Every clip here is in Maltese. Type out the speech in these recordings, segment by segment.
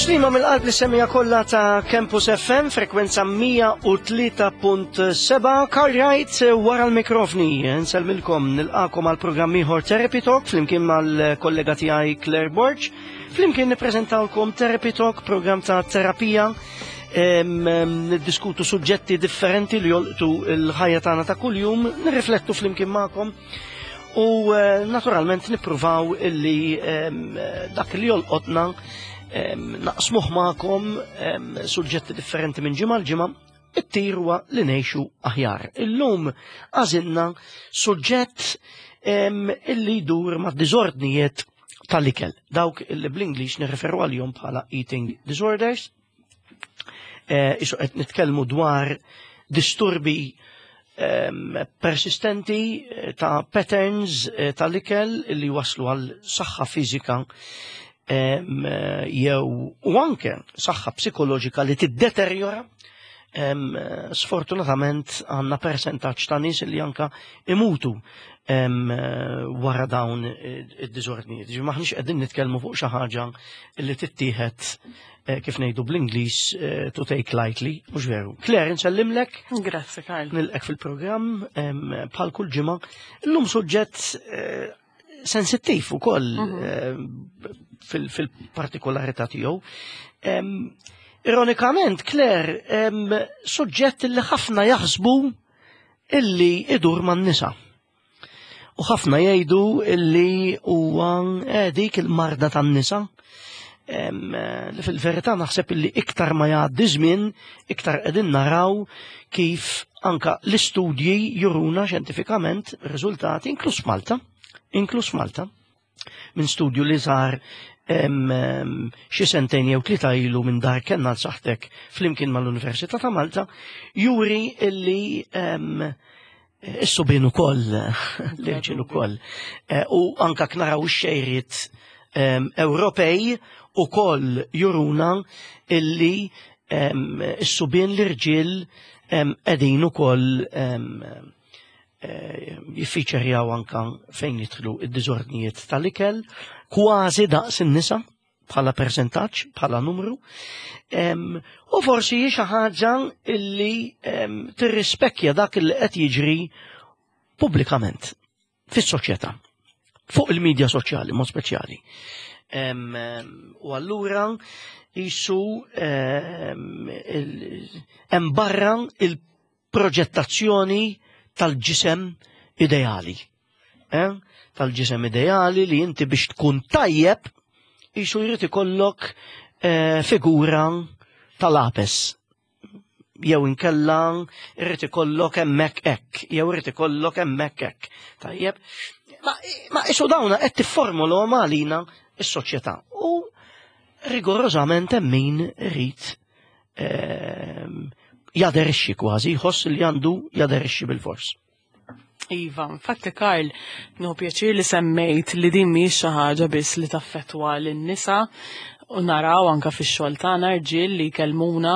Tislima mill-qalb li semija kollha ta' Campus FM, frekwenza 103.7, Carl Wright wara l-mikrofni. Nselmilkom nilqakom għal programm ieħor Therapy Talk flimkien mal-kollega tiegħi Claire Borg. Flimkien nippreżentawlkom Therapy Talk, programm ta' terapija niddiskutu suġġetti differenti li jolqtu l-ħajja tagħna ta' kuljum, nirriflettu flimkien magħkom u eh, naturalment nippruvaw illi dak li jolqotna naqsmuh magħkom suġġetti differenti minn ġimgħa l-ġimgħa it-tir huwa li ngħixu aħjar. Illum għażilna suġġett illi jdur ma' diżordnijiet tal-ikel, dawk illi bl-Ingliż nirreferu għalihom bħala eating disorders. Eh, isu qed nitkellmu dwar disturbi persistenti eh, ta' patterns eh, tal-ikel li waslu għal saħħa fiżika jew u anke saħħa psikoloġika li tiddeterjora sfortunatament għandna percentaġġ ta' nies li anka imutu wara dawn id-diżordnijiet. Ġi maħniex qegħdin nitkellmu fuq xi ħaġa li tittieħed eh, kif ngħidu bl-Ingliż eh, to take lightly, mhux veru. Claire, nsellimlek. Grazzi, Karl. Nilqek fil-programm bħal kull ġimgħa. Illum suġġett eh, sensittiv ukoll mhm. fil-partikolarità tiegħu. Ironikament, Claire, suġġett li ħafna jaħsbu illi idur man-nisa. U ħafna jgħidu illi huwa eh, dik il-marda tan-nisa. Eh, li fil-verità naħseb illi iktar ma jgħaddi żmien, iktar qegħdin naraw kif anka l-istudji juruna xjentifikament riżultati inkluż Malta, inkluż Malta, minn studju li sar xi sentejn jew tlieta ilu minn dar kenna l-saħtek flimkien mal-Università ta' Malta, juri illi is-subien ukoll, l-irġiel ukoll. Eh, u anka knaraw ix-xejriet Ewropej ukoll juruna illi is-subien l-irġiel qegħdin ukoll eh, jiffiċerjaw anka fejn jidħlu id-diżordnijiet tal-ikel, kważi daqs in-nisa bħala percentaġġ, bħala numru. U forsi hi xi ħaġa illi tirrispekkja dak li qed jiġri pubblikament fis-soċjetà, fuq il-medja soċjali mod speċjali. U allura jisu hemm barra il-proġettazzjoni tal-ġisem ideali. Eh? Tal-ġisem ideali li inti biex tkun tajjeb jisu jrid ikollok eh, figura tal-apes jew inkella irrid ikollok hemmhekk hekk, jew irrid ikollok hemmhekk hekk. Tajjeb. Ma, ma isu dawna qed tifformulhom għalina s-soċjetà. U rigorożament hemm min irid ehm, jaderixxi kważi, jħoss li għandu jaderixxi bil-fors. Iva, infatti Karl, nieħu pjaċir li semmejt li din mhijiex xi ħaġa biss li taffettwa lin-nisa u naraw anka fix-xogħol tagħna rġiel li jkellmuna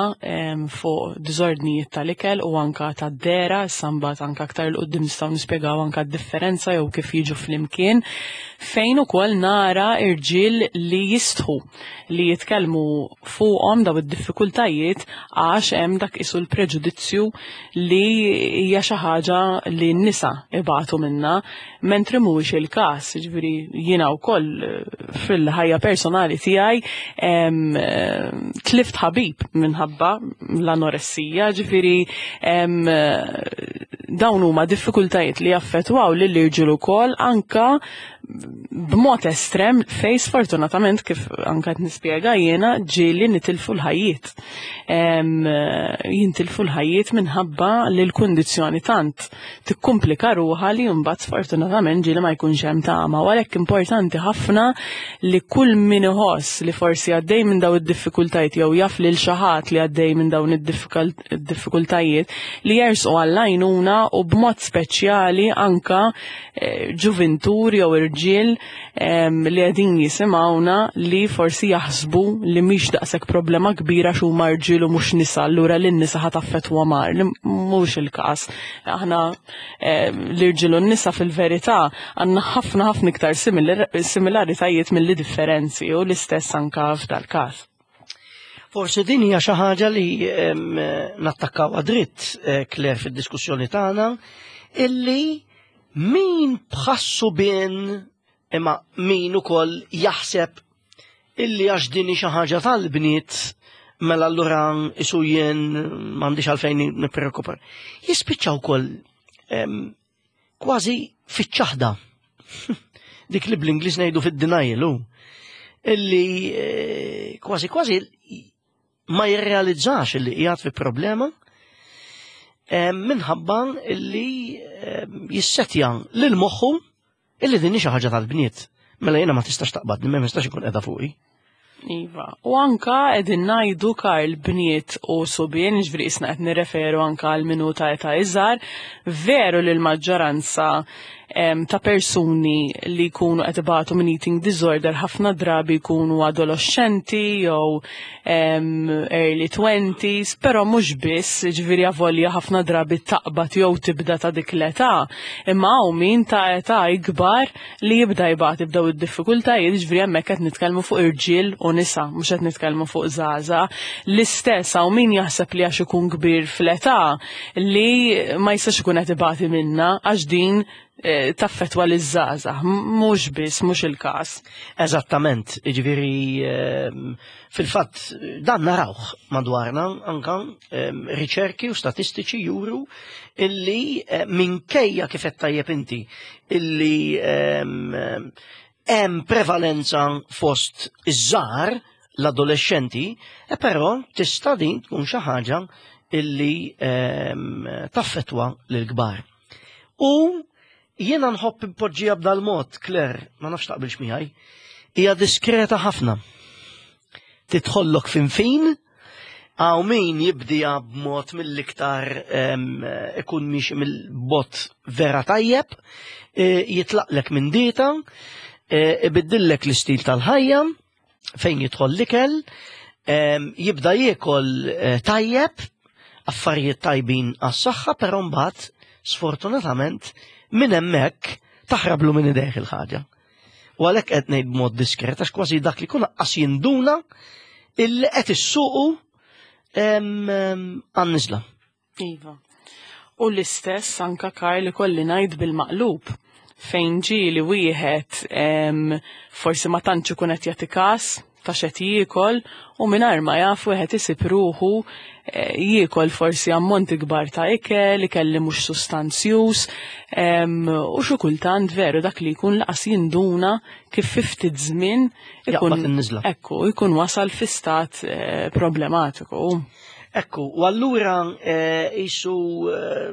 fuq diżordnijiet tal-ikel u anka tad-dera, issa mbagħad anka aktar 'l quddiem nistgħu nispjegaw anka d-differenza jew kif jiġu flimkien, fejn ukoll nara rġiel li jistħu li jitkellmu fuqhom daw id-diffikultajiet għax hemm dak isu l-preġudizzju li hija xi ħaġa li n-nisa ibatu minnha, mentri mhuwiex il-każ, jiġifieri jiena wkoll eh, fil-ħajja personali tiegħi eh, tlift ħabib minħabba l-anoressija, ġifieri eh, dawn huma diffikultajiet li jaffettwaw lill-irġiel ukoll anka b'mod estrem fej sfortunatament kif anka qed nispjega jiena ġieli nitilfu l-ħajjiet. Jintilfu l-ħajjiet minħabba li l-kundizzjoni tant tikkumplika ruħha li mbagħad sfortunatament ġieli ma jkunx hemm tama. U għalhekk importanti ħafna li kull min iħoss li forsi għaddej minn dawn id-diffikultajiet jew jaf lil xi ħadd li għaddej minn dawn id-diffikultajiet li jersqu għall-għajnuna u b'mod speċjali anka Eh, ġuvintur jew irġiel li qegħdin jisimgħuna li forsi jaħsbu li mhix daqshekk problema kbira x'huma huma rġiel u mhux nisa, allura lin nisa ħa taffettwa mar, li mhux il-każ. Aħna l-irġiel u n-nisa fil-verità għandna ħafna ħafna iktar similaritajiet milli differenzi u l-istess anka f'dal-każ. Forsi din hija xi ħaġa li nattakkaw dritt eh, Claire fid-diskussjoni tagħna illi min bħassu bin imma min ukoll jaħseb illi għax din xi ħaġa tal-bniet mela allura isu jien m'għandix għalfejn nippreokupa. Jispiċċa wkoll kważi fiċ-ċaħda. Dik li bl-Ingliż ngħidu fid-denial hu. Illi eh, kważi kważi ma jirrealizzax illi qiegħed fi problema eh, minħabba illi eh, jissetja lil moħħu illi din xi ħaġa tal-bniet. Mela jiena ma tistax taqbadni, ma nistax ikun qiegħda fuqi. Iva. U anka qegħdin ngħidu Karl bniet u subien, ġifieri isna qed nirreferu anka għal minuta età iżgħar, veru li l-maġġoranza ta' persuni li jkunu qed ibatu minn eating disorder ħafna drabi jkunu adolescenti jew early 20s, però mhux biss, ġifieri avolja ħafna drabi taqbad jew tibda ta' dik l-età, imma hawn min ta' età ikbar li jibda jbati b'daw id-diffikultajiet, ġifieri hemmhekk qed nitkellmu fuq irġiel u nisa, mhux qed nitkellmu fuq żgħażagħ. L-istess hawn min jaħseb li għax ikun kbir fl-età li ma jistax ikun qed ibati minna għax din eh, taffetwa li żgħażagħ mhux biss, mhux il-każ. Eżattament, jiġifieri ehm, fil-fatt dan narawh madwarna anka ehm, riċerki u statistiċi juru illi eh, minkejja kif qed tajjeb inti illi ehm, hemm prevalenza fost iż-żgħar l-adolescenti, e però tista' din tkun xi ħaġa illi taffetwa lill-kbar. U jiena nħobb impoġġija b'dal-mod, Claire, ma nafx taqbilx miegħi, hija diskreta ħafna. Titħollok fin fin, għaw min jibdija b'mod mill-iktar ikun miex mill-bot vera tajjeb, e, jitlaqlek minn dieta, e, ibiddillek l-istil tal-ħajja, fejn jidħol l-ikel, jibda jiekol eh, tajjeb, affarijiet tajbin għas-saħħa, però mbagħad sfortunatament minn hemmhekk taħrablu minn idejh il-ħaġa. U għalhekk qed ngħid b'mod diskret għax kważi dak li kun qas jinduna illi qed issuqu għan-niżla. Iva. U l-istess anka Karl ikolli ngħid bil-maqlub fejn ġieli wieħed forsi ma tantx ikun qed jagħti każ ta' x'qed jiekol u mingħajr ma jaf wieħed isib ruħu eh, jiekol forsi ammonti kbar ta' ikel, ikel li mhux sustanzjuż, u xi kultant veru dak li jkun laqas jinduna kif fi ftit żmien ikun ekku, jkun wasal fi stat eh, problematiku. Ekku, u allura jisu eh,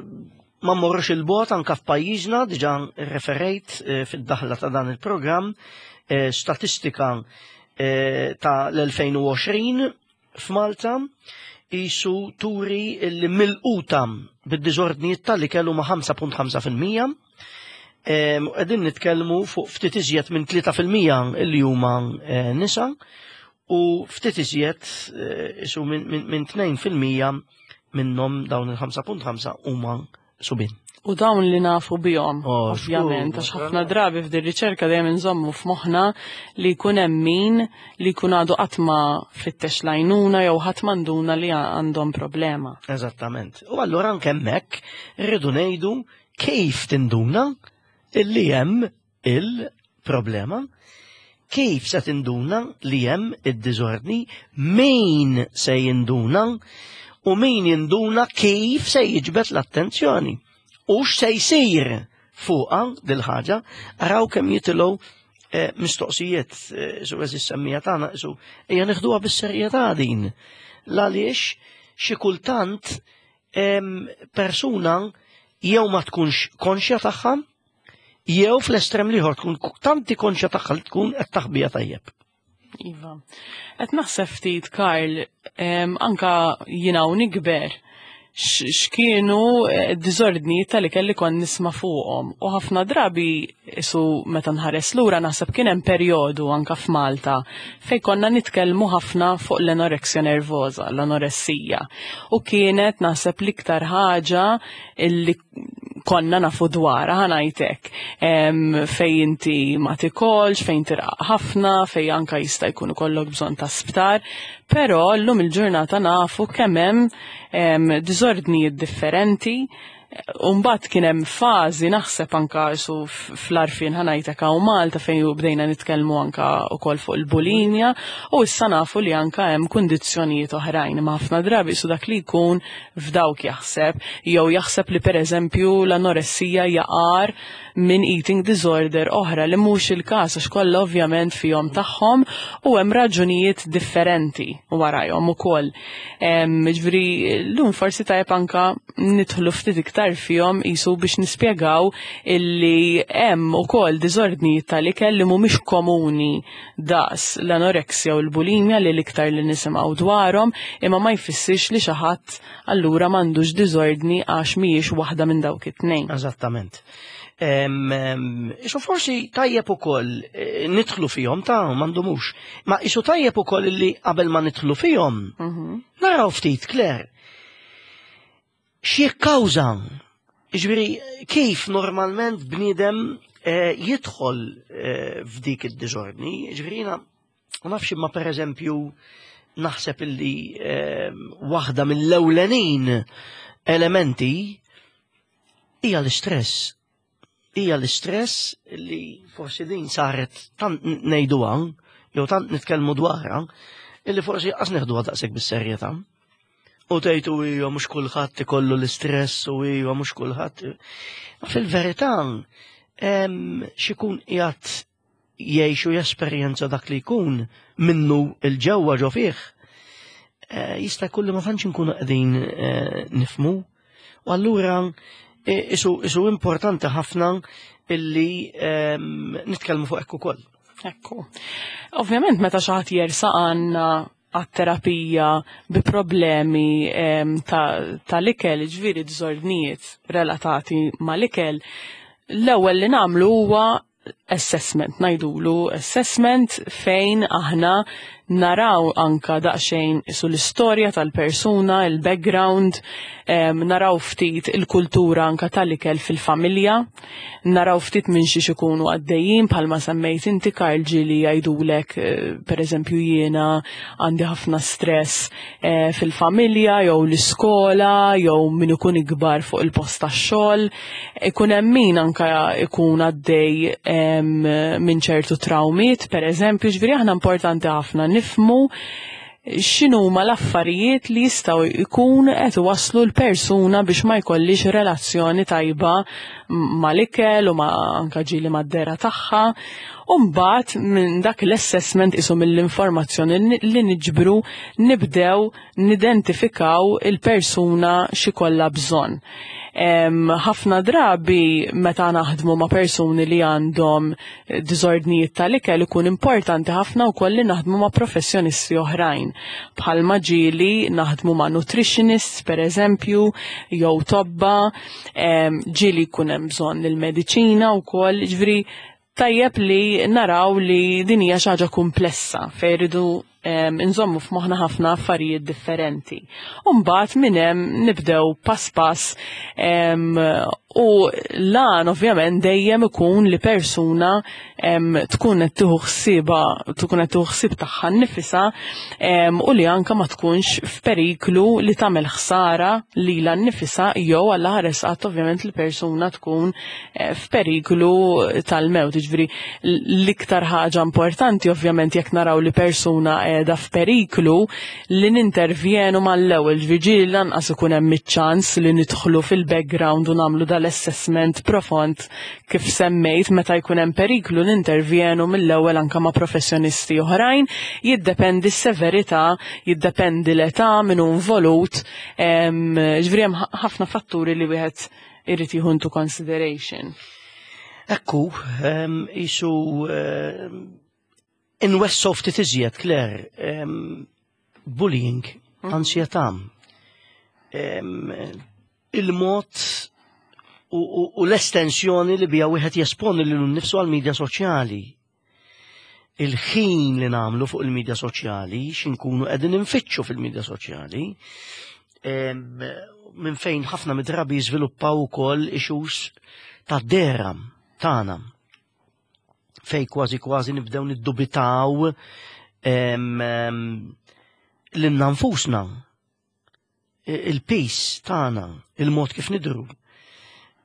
ma mmorrux il-bot anka f'pajjiżna, diġà referejt eh, fid-daħla ta' dan il-programm, eh, statistika ta' l-2020 f'Malta jisu turi li mill-quta bid-diżordnijiet tal-ikel huma 5.5%. Qegħdin nitkellmu fuq ftit iżjed minn 3% li huma nisa u ftit iżjed eh, isu minn 2% minnhom dawn il-5.5 huma subin. U dawn li nafu bihom, oh, ovvjament, għax ħafna drabi f'din riċerka dejjem inżommu f'moħħna li jkun hemm min li jkun għadu qatt ma fittex lajnuna jew ħadd manduna li għandhom problema. Eżattament. U allura anke hemmhekk rridu ngħidu kif tinduna illi hemm il-problema, kif se tinduna li hemm id-diżordni, min se jinduna u min jinduna kif se jiġbed l-attenzjoni. U x'se jsir fuqha dil-ħaġa, araw kemm jitilgħu eh, mistoqsijiet eh, su eżis semmija tagħna su hija neħduha bis-serjetà din. L-għaliex xi kultant persuna jew ma tkunx konxja tagħha jew fl-estrem liħor tkun tanti konxja tagħha li tkun qed taħbija tajjeb. Iva. Qed naħseb ftit Karl, anka jiena u nikber x'kienu eh, diżordni tal kelli kon nisma' fuqhom. U ħafna drabi isu meta nħares lura naħseb kien hemm perjodu anka f'Malta fejn konna nitkellmu ħafna fuq l-anoreksja nervosa, l-anoressija. U kienet naħseb l-iktar ħaġa illi konna nafu dwarha ħa ngħidlek. Fejn inti ma tikolx, fejn tirqaq ħafna, fejn anka jista' jkun ikollok bżonn ta' sptar, però llum il-ġurnata nafu kemm hemm diżordnijiet differenti. Umbat kien hemm fażi naħseb anka su fl-għarfien ħa ngħidlek hawn Malta fejn bdejna nitkellmu anka wkoll fuq il-bulimja u issa nafu li anka hemm kundizzjonijiet oħrajn, imma ħafna drabi su dak li jkun f'dawk jaħseb jew jaħseb li pereżempju l-anoressija jaqar minn eating disorder oħra, li mhux il-każ għax kollha ovvjament fihom tagħhom u hemm raġunijiet differenti warajhom ukoll. Ġifieri llum forsi tajjeb anka nidħlu ftit iktar fihom isu biex nispjegaw illi hemm ukoll diżordnijiet tal-ikel li mhumiex komuni daqs l-anoreksja u l-bulimja li l-iktar li nisimgħu dwarhom, imma ma jfissirx li xi ħadd allura m'għandux diżordni għax mhijiex waħda minn dawk it-tnejn. Eżattament. Isu forsi tajjeb ukoll nidħlu fihom ta' m'għandhomux. Ma isu tajjeb ukoll li qabel ma nidħlu fihom naraw ftit, Claire, x'jikkawża? Ġifieri kif normalment bniedem jidħol f'dik id-diżordni, ġifieri jiena ma nafx, imma pereżempju naħseb illi waħda mill-ewlenin elementi hija l-istress. Hija l-istress li forsi din saret tant ngħiduha jew tant nitkellmu dwarha illi forsi qas neħduha daqshekk bis-serjetà. U tgħidu hija mhux kulħadd ikollu l-istress u hija mhux kulħadd. Ma fil-verità x'ikun qiegħed jgħixu jesperjenza dak li jkun minnu il-ġewwa ġo fih, jista' jkun li ma tantx inkunu qegħdin nifmu. U allura isu importanti ħafna illi nitkellmu fuq hekk ukoll. Ekku. Ovvjament meta xi ħadd jersaq għandna għat-terapija bi problemi tal-ikel, ġifieri diżordnijiet relatati mal-ikel, l-ewwel li nagħmlu huwa assessment, ngħidulu assessment, fejn aħna naraw anka daqsxejn su l-istorja tal-persuna, il-background, naraw ftit il-kultura anka tal-ikel fil-familja, naraw ftit minn xiex ikunu għaddejjin, bħalma semmejt inti, Karl, ġieli jgħidulek per eżempju jiena għandi ħafna stress fil-familja jew l-iskola jew min ikun ikbar fuq il-post tax-xogħol. Ikun hemm min anka ikun għaddej minn ċertu traumiet, per eżempju, ġifieri aħna importanti ħafna nifmu x'inhuma l-affarijiet li jistgħu jkun qed iwasslu l-persuna biex ma jkollix relazzjoni tajba mal-ikel u ma anka ġieli mad-dehra tagħha. U mbagħad minn dak l-assessment isu mill-informazzjoni li niġbru nibdew nidentifikaw il-persuna x'ikollha bżonn. Ħafna drabi meta naħdmu ma' persuni li għandhom diżordnijiet tal-ikel ikun importanti ħafna wkoll li naħdmu ma' professjonisti oħrajn. Bħalma ġieli naħdmu ma' nutritionists per eżempju, jew tobba, ġieli jkun hemm bżonn il-mediċina wkoll, ġifieri tajjeb li naraw li din hija xi ħaġa komplessa fejn irridu nżommu f'moħħna ħafna affarijiet differenti. Umbagħad minn hemm nibdew pass pass u lan ovvjament dejjem ikun li persuna tkun qed tieħu ħsiebha, tkun qed tieħu ħsieb tagħha nnifisha u li anka ma tkunx f'periklu li tagħmel ħsara lilha nnifisha jew għal ħares qatt ovvjament li persuna tkun f'periklu tal-mewt. Ġifieri l-iktar ħaġa importanti ovvjament jekk naraw li persuna qiegħda f'periklu li nintervjenu mal-ewwel, ġifieri lanqas ikun hemm iċ-ċans li nidħlu fil-background u nagħmlu dal-assessment profond kif semmejt, meta jkun hemm periklu nintervjenu mill-ewwel anke ma' professjonisti oħrajn, jiddependi s-severità, jiddependi l-età min hu involut, ġifieri hemm ħafna fatturi li wieħed irid jieħu into consideration. Ekku, isu inwessgħu ftit iżjed, Claire, bullying, ansjetà, il-mod u l-estensjoni li bija wieħed jesponi lilu nnifsu għal-medja soċjali. Il-ħin li nagħmlu fuq il-medja soċjali, x'inkunu qegħdin infittxu fil-medja soċjali. Minn fejn ħafna mid-drabi jiżviluppaw ukoll issues ta' dera tagħna. Fej kważi kważi nibdew niddubitaw lilna nfusna, il-pis tagħna, il-mod kif nidru.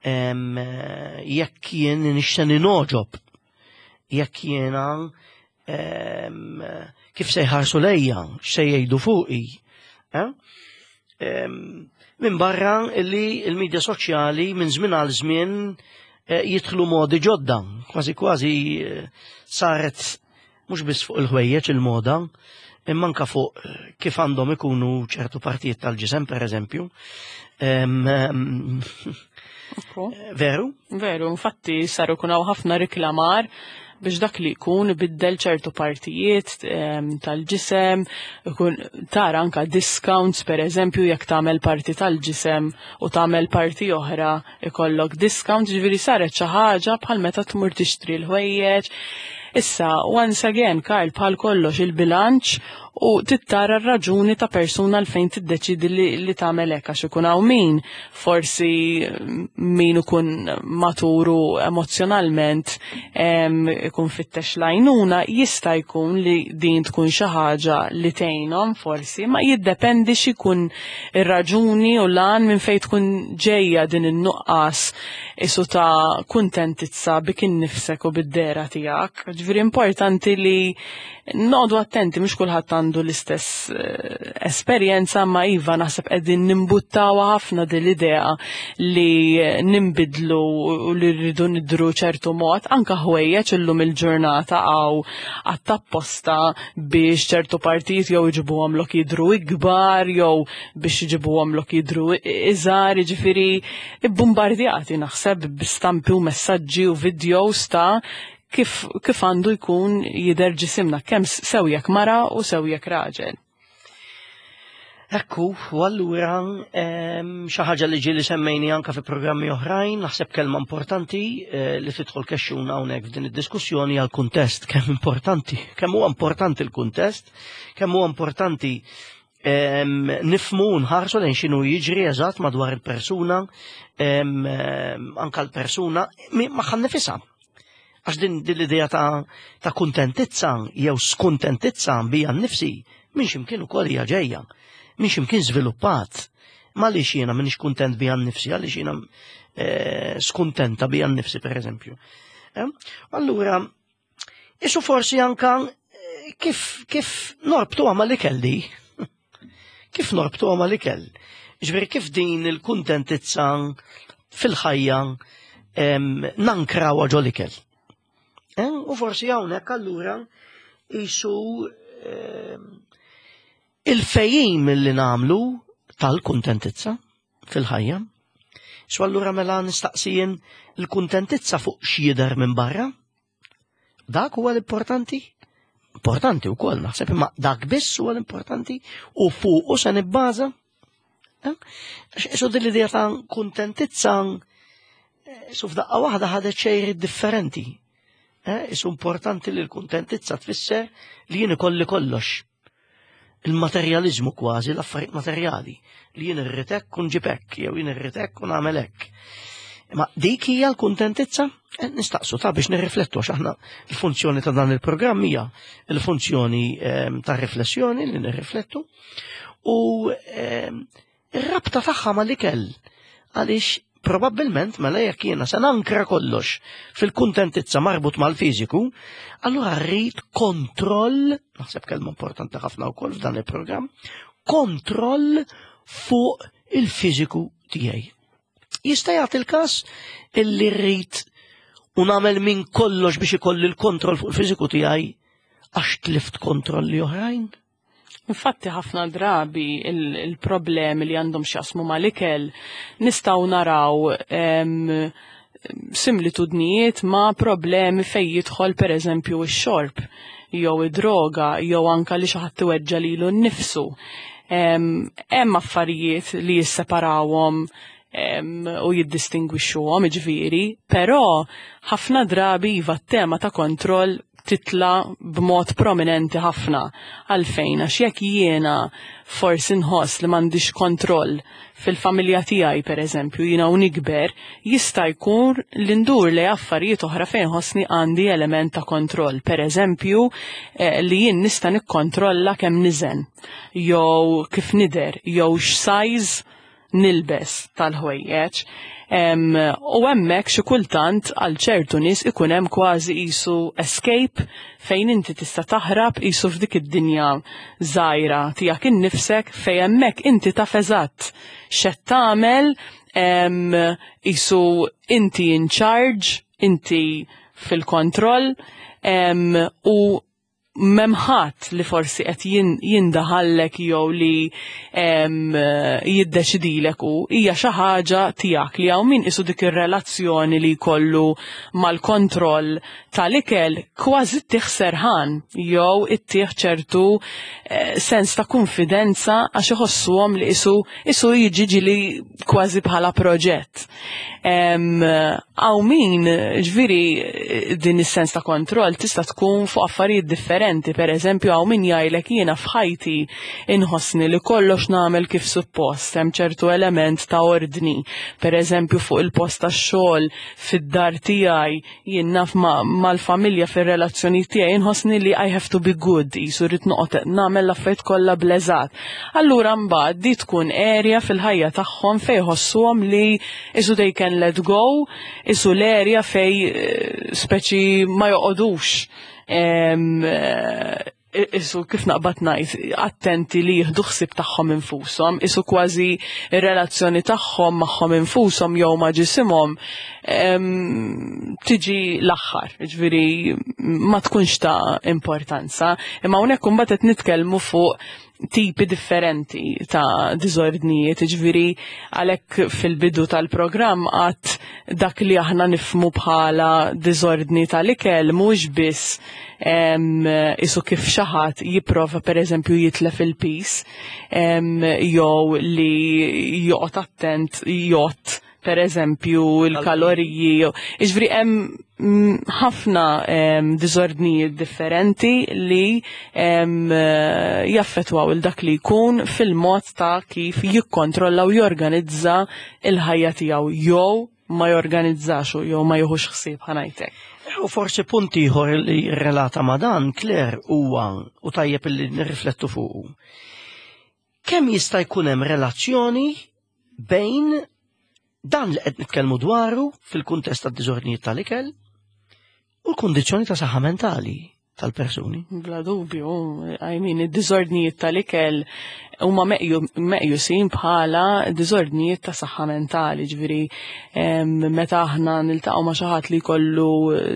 Jekk jien nixten ninoġob, jekk jiena kif se jħarsu lejja, x'se jgħidu fuqi. Eh? Minn barra li il-medja soċjali minn żmien għal żmien eh, jidħlu modi ġodda, kważi kważi eh, saret mhux biss fuq il-ħwejjeġ il-moda, imma anka fuq kif għandhom ikunu ċertu partijiet tal-ġisem, per eżempju. Veru? Veru, infatti saru kunaw ħafna riklamar biex dak li jkun ibiddel ċertu partijiet tal-ġisem, ikun tara anka discounts per eżempju jekk tagħmel parti tal-ġisem u tagħmel parti oħra ikollok discount, ġifieri saret xi ħaġa bħal meta tmur tixtri l-ħwejjeġ. Issa, once again, Karl, bħal kollox il-bilanċ u tittara r-raġuni ta' persuna l fejn tiddeċidi li tagħmel hekk għax ikun hawn min forsi min ikun maturu emozjonalment ikun fittex lajnuna jista' jkun li din tkun xi ħaġa li tgħinhom forsi, ma jiddependi x'ikun ir-raġuni u lan minn fejn tkun ġejja din in-nuqqas isu ta' kuntentizza bik innifsek u bid-dera tiegħek. Ġifieri importanti li noqogħdu attenti, mhux kulħadd għandu l-istess esperjenza, ma iva naħseb qegħdin nimbuttawha ħafna din l-idea li nimbidlu u li rridu nidru ċertu mod, anka ħwejjeġ illum il-ġurnata għaw għattapposta biex ċertu partijiet jew iġibuhom lok jidru ikbar jew biex iġibuhom lok jidru iżgħar, jiġifieri ibbumbardjati naħseb b'stampi u messaġġi u videos ta' kif għandu jkun jidher ġisimna, kemm sew jekk mara u sew jekk raġel. Ekku, u allura xi ħaġa li ġieli semmejni anka fi programmi oħrajn, naħseb kelma importanti li tidħol kexxuna hawnhekk f'din id-diskussjoni għal kuntest, kemm importanti, kemm huwa importanti l-kuntest, kemm huwa importanti nifmu u nħarsu lejn x'inhu jiġri eżatt madwar il-persuna, anka l-persuna magħha nnifisha. Għax din l-idea ta' kuntentizza jew skuntentizza bija nnifsi minn x'imkien ukoll hija ġejja, minn x'imkien żviluppat. Ma għaliex jiena m'iniex kuntent bija nnifsi, għaliex jiena skuntenta bija nnifsi pereżempju. Allura, isu forsi anka kif norbtu ma l-ikel di? Kif norbtu ma l-ikel? Ġifieri kif din il-kuntentizza fil-ħajja nankraw ġo l-ikel? U forsi hawnhekk allura isu il-fejjim li nagħmlu tal-kuntentizza fil-ħajja. Su allura mela nistaqsijin il-kuntentizza fuq x'jidher minn barra? Dak huwa l-importanti? Importanti wkoll naħseb, imma dak biss huwa l-importanti u fuqu se nibbaża? Su din l-idea ta' kuntentizza su f'daqqa waħda ħadet xejri differenti. Isu importanti li l-kuntentizza tfisser li jien ikolli kollox. Il-materjalizmu kważi, l-affarijiet materjali, li jien irrid hekk u nġib hekk, jew jien irrid hekk u nagħmel hekk. Ma dik hija l-kuntentizza? Nistaqsu ta' biex nirriflettu għax aħna l-funzjoni ta' dan il-programm hija l-funzjoni ta' riflessjoni li nirriflettu u ir-rabta tagħha mal-ikel għaliex probabbilment mela jekk jiena se nankra kollox fil-kuntentizza marbut mal-fiżiku, allura rrid kontroll, naħseb kelma importanti ħafna wkoll f'dan il-programm, kontroll fuq il-fiżiku tiegħi. Jista' jagħti l-każ illi rrid u nagħmel minn kollox biex ikolli l-kontroll fuq il-fiżiku tiegħi għax tlift kontrolli oħrajn? Infatti ħafna drabi il-problemi li għandhom x'jaqsmu mal-ikel nistgħu naraw similitudnijiet ma' problemi fejn jidħol pereżempju x-xorb jew id-droga jew anka li xi ħadd iweġġa' lilu nnifsu. Hemm affarijiet li jisseparawhom u jiddistingwixxuhom, jiġifieri, però ħafna drabi iva t-tema ta' kontroll titla b'mod prominenti ħafna. Għalfejn, għax jekk jiena forsi nħoss li m'għandix kontroll fil-familja tiegħi pereżempju, jiena u nikber, jista' jkun li ndur li affarijiet oħra fejn ħossni għandi element ta' kontroll. Pereżempju, li jien nista' nikkontrolla kemm niżen, jew kif nidher, jew x'size nilbes tal-ħwejjeġ. U hemmhekk xi kultant għal ċertu nies ikun hemm kważi qisu escape fejn inti tista' taħrab qisu f'dik id-dinja żgħira tiegħek innifsek fejn hemmhekk inti taf eżatt x'qed tagħmel, qisu inti in charge, inti fil-kontroll, u memħat li forsi qed jindaħallek jew li jiddeċidilek u hija xi ħaġa tiegħek li hawn min isu dik ir-relazzjoni li jkollu mal-kontroll tal-ikel kważi ttih serħan jew ittih ċertu sens ta' konfidenza għax iħossuhom li isu jiġi ġili kważi bħala proġett. Hawn min, ġifieri, din is-sens ta' kontroll tista' tkun fuq affarijiet differenti. Per eżempju, hawn min jgħidlek jiena f'ħajti inħossni li kollox nagħmel kif suppost, hemm ċertu element ta' ordni. Per eżempju, fuq il-post tax-xogħol, fid-dar tiegħi, jien naf mal-familja fir-relazzjoni tiegħi inħossni li I have to be good, jisu rrid noqgħod nagħmel l-affarijiet kollha bleżat. Allura mbagħad di tkun area fil-ħajja tagħhom fejn jħossuhom li isu they can let go, isu l-area fej speċi ma joqogħdux isu kif naqbad ngħid attenti li jieħdu ħsieb tagħhom infushom, isu kważi ir-relazzjoni tagħhom magħhom infushom jew ma' ġisimhom tiġi l-aħħar, ġifieri ma tkunx ta' importanza. Imma hawnhekk imbagħad qed nitkellmu fuq tipi differenti ta' diżordnijiet, ġifieri għalhekk fil-bidu tal-programm għat dak li aħna nifmu bħala diżordni tal-ikel mhux biss isu kif xi ħadd jipprova pereżempju jitlef il-pis, jew li joqgħod attent jgħodd pereżempju il-kaloriji. Jiġifieri hemm ħafna diżordnijiet differenti li jaffettwaw il dak li jkun fil-mod ta' kif jikkontrolla u jorganizza il-ħajja tiegħu jew ma jorganizzax jew ma jieħux ħsieb ħanajtek. U forsi punt ieħor li relata ma' dan, Claire, huwa u tajjeb li nirriflettu fuqu. Kemm jista' jkun hemm relazzjoni bejn dan li qed nitkellmu dwaru fil-kuntest tad-diżordnijiet tal-ikel u l-kundizzjoni ta' saħħa mentali tal-persuni? Bla dubju, I mean, id-diżordnijiet tal-ikel huma meqjusin bħala diżordnijiet ta' saħħa mentali, ġifieri meta aħna niltaqgħu ma' xi ħadd li jkollu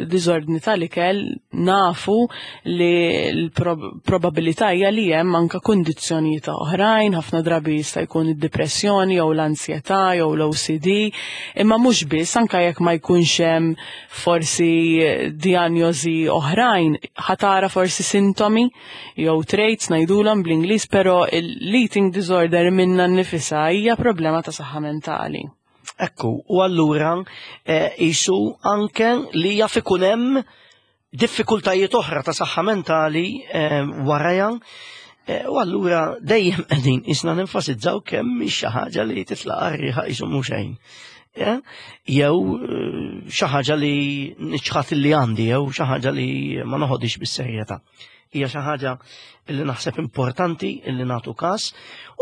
diżordni tal-ikel, nafu li l-probabilità hija li hemm anke kundizzjonijiet oħrajn, ħafna drabi jista' jkun id-depressjoni jew l-ansjetà jew l-OCD, imma mhux biss, anke jekk ma jkunx hemm forsi diagnosi oħrajn, ħatara forsi sintomi jew traits ngħidulhom bl-Ingliż, però l-eating disorder minna nnifisha hija problema ta' saħħa mentali. Ekku, u allura isu anke li jaf ikun hemm diffikultajiet oħra ta' saħħa mentali warajha, u allura dejjem qegħdin isna nenfasizzaw kemm hi xi ħaġa li titlaq għar-riħa qisu mhux xejn. Jew xi ħaġa li niċħat li għandi, jew xi ħaġa li ma noħodix bis-serjetà. Hija xi ħaġa li naħseb importanti li nagħtu każ.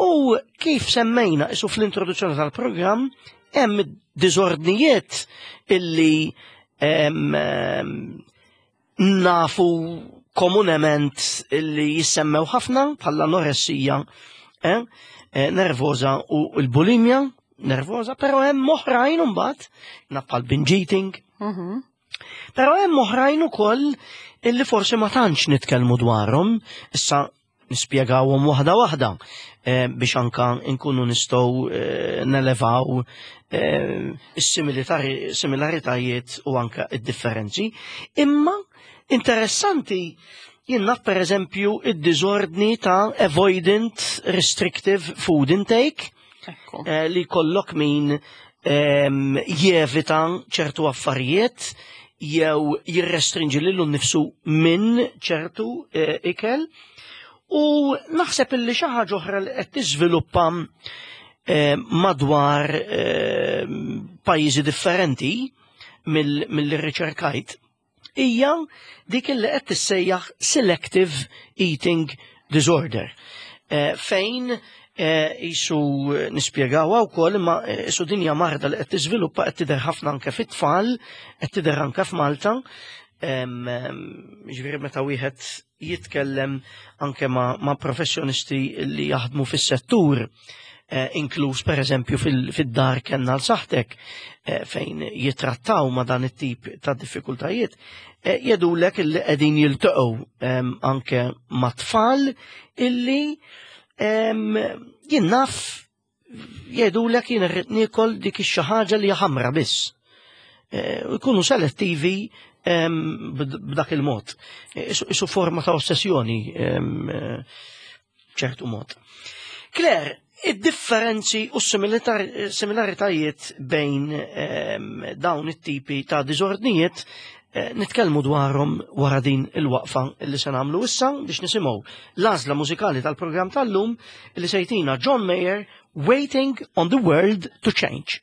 U kif semmejna isu fl-introduzzjoni tal-programm, hemm diżordnijiet illi nafu komunement illi jissemmew ħafna bħala anoressija nervosa u l-bulimja nervosa, però hemm oħrajn imbagħad, naf bħal binge eating. Però hemm oħrajn ukoll illi forsi ma tantx nitkellmu dwarhom, issa nispjegawhom waħda waħda biex anka nkunu nistgħu nelevaw is-similaritajiet u anka id-differenzi. Imma interessanti jien naf per eżempju id-diżordni ta' avoidant restrictive food intake, li kollok min jevita ċertu affarijiet. jew jirrestrinġi lilu nnifsu minn ċertu eh, ikel. U naħseb illi xi ħaġa oħra li qed tiżviluppa eh, madwar eh, pajjiżi differenti mill-li riċerkajt hija dik li qed tissejjaħ selective eating disorder. Fejn jisu nispjegawha wkoll imma isu dinja marda li qed tiżviluppa qed tidher ħafna anke fit-tfal, qed tidher anke f'Malta. Ġifieri meta wieħed jitkellem anke ma', ma professjonisti li jaħdmu fis-settur, eh, inkluż per eżempju fid-dar kenna l-saħtek eh, fejn jitrattaw ma dan it-tip ta' diffikultajiet, eh, jedulek illi qegħdin jiltaqgħu anke ma' tfal illi jien naf jgħidulek jien irrid niekol dik ix-xi ħaġa li ħamra biss. Eh, u jkunu selettivi b'dak il-mod. Eh, isu forma ta' ossessjoni eh, ċertu mod. Claire, id-differenzi u similaritajiet bejn dawn it-tipi ta' diżordnijiet nitkellmu dwarhom wara din il-waqfa li se nagħmlu issa biex nisimgħu l-għażla mużikali tal-programm tal-lum li sejtina John Mayer Waiting on the World to Change.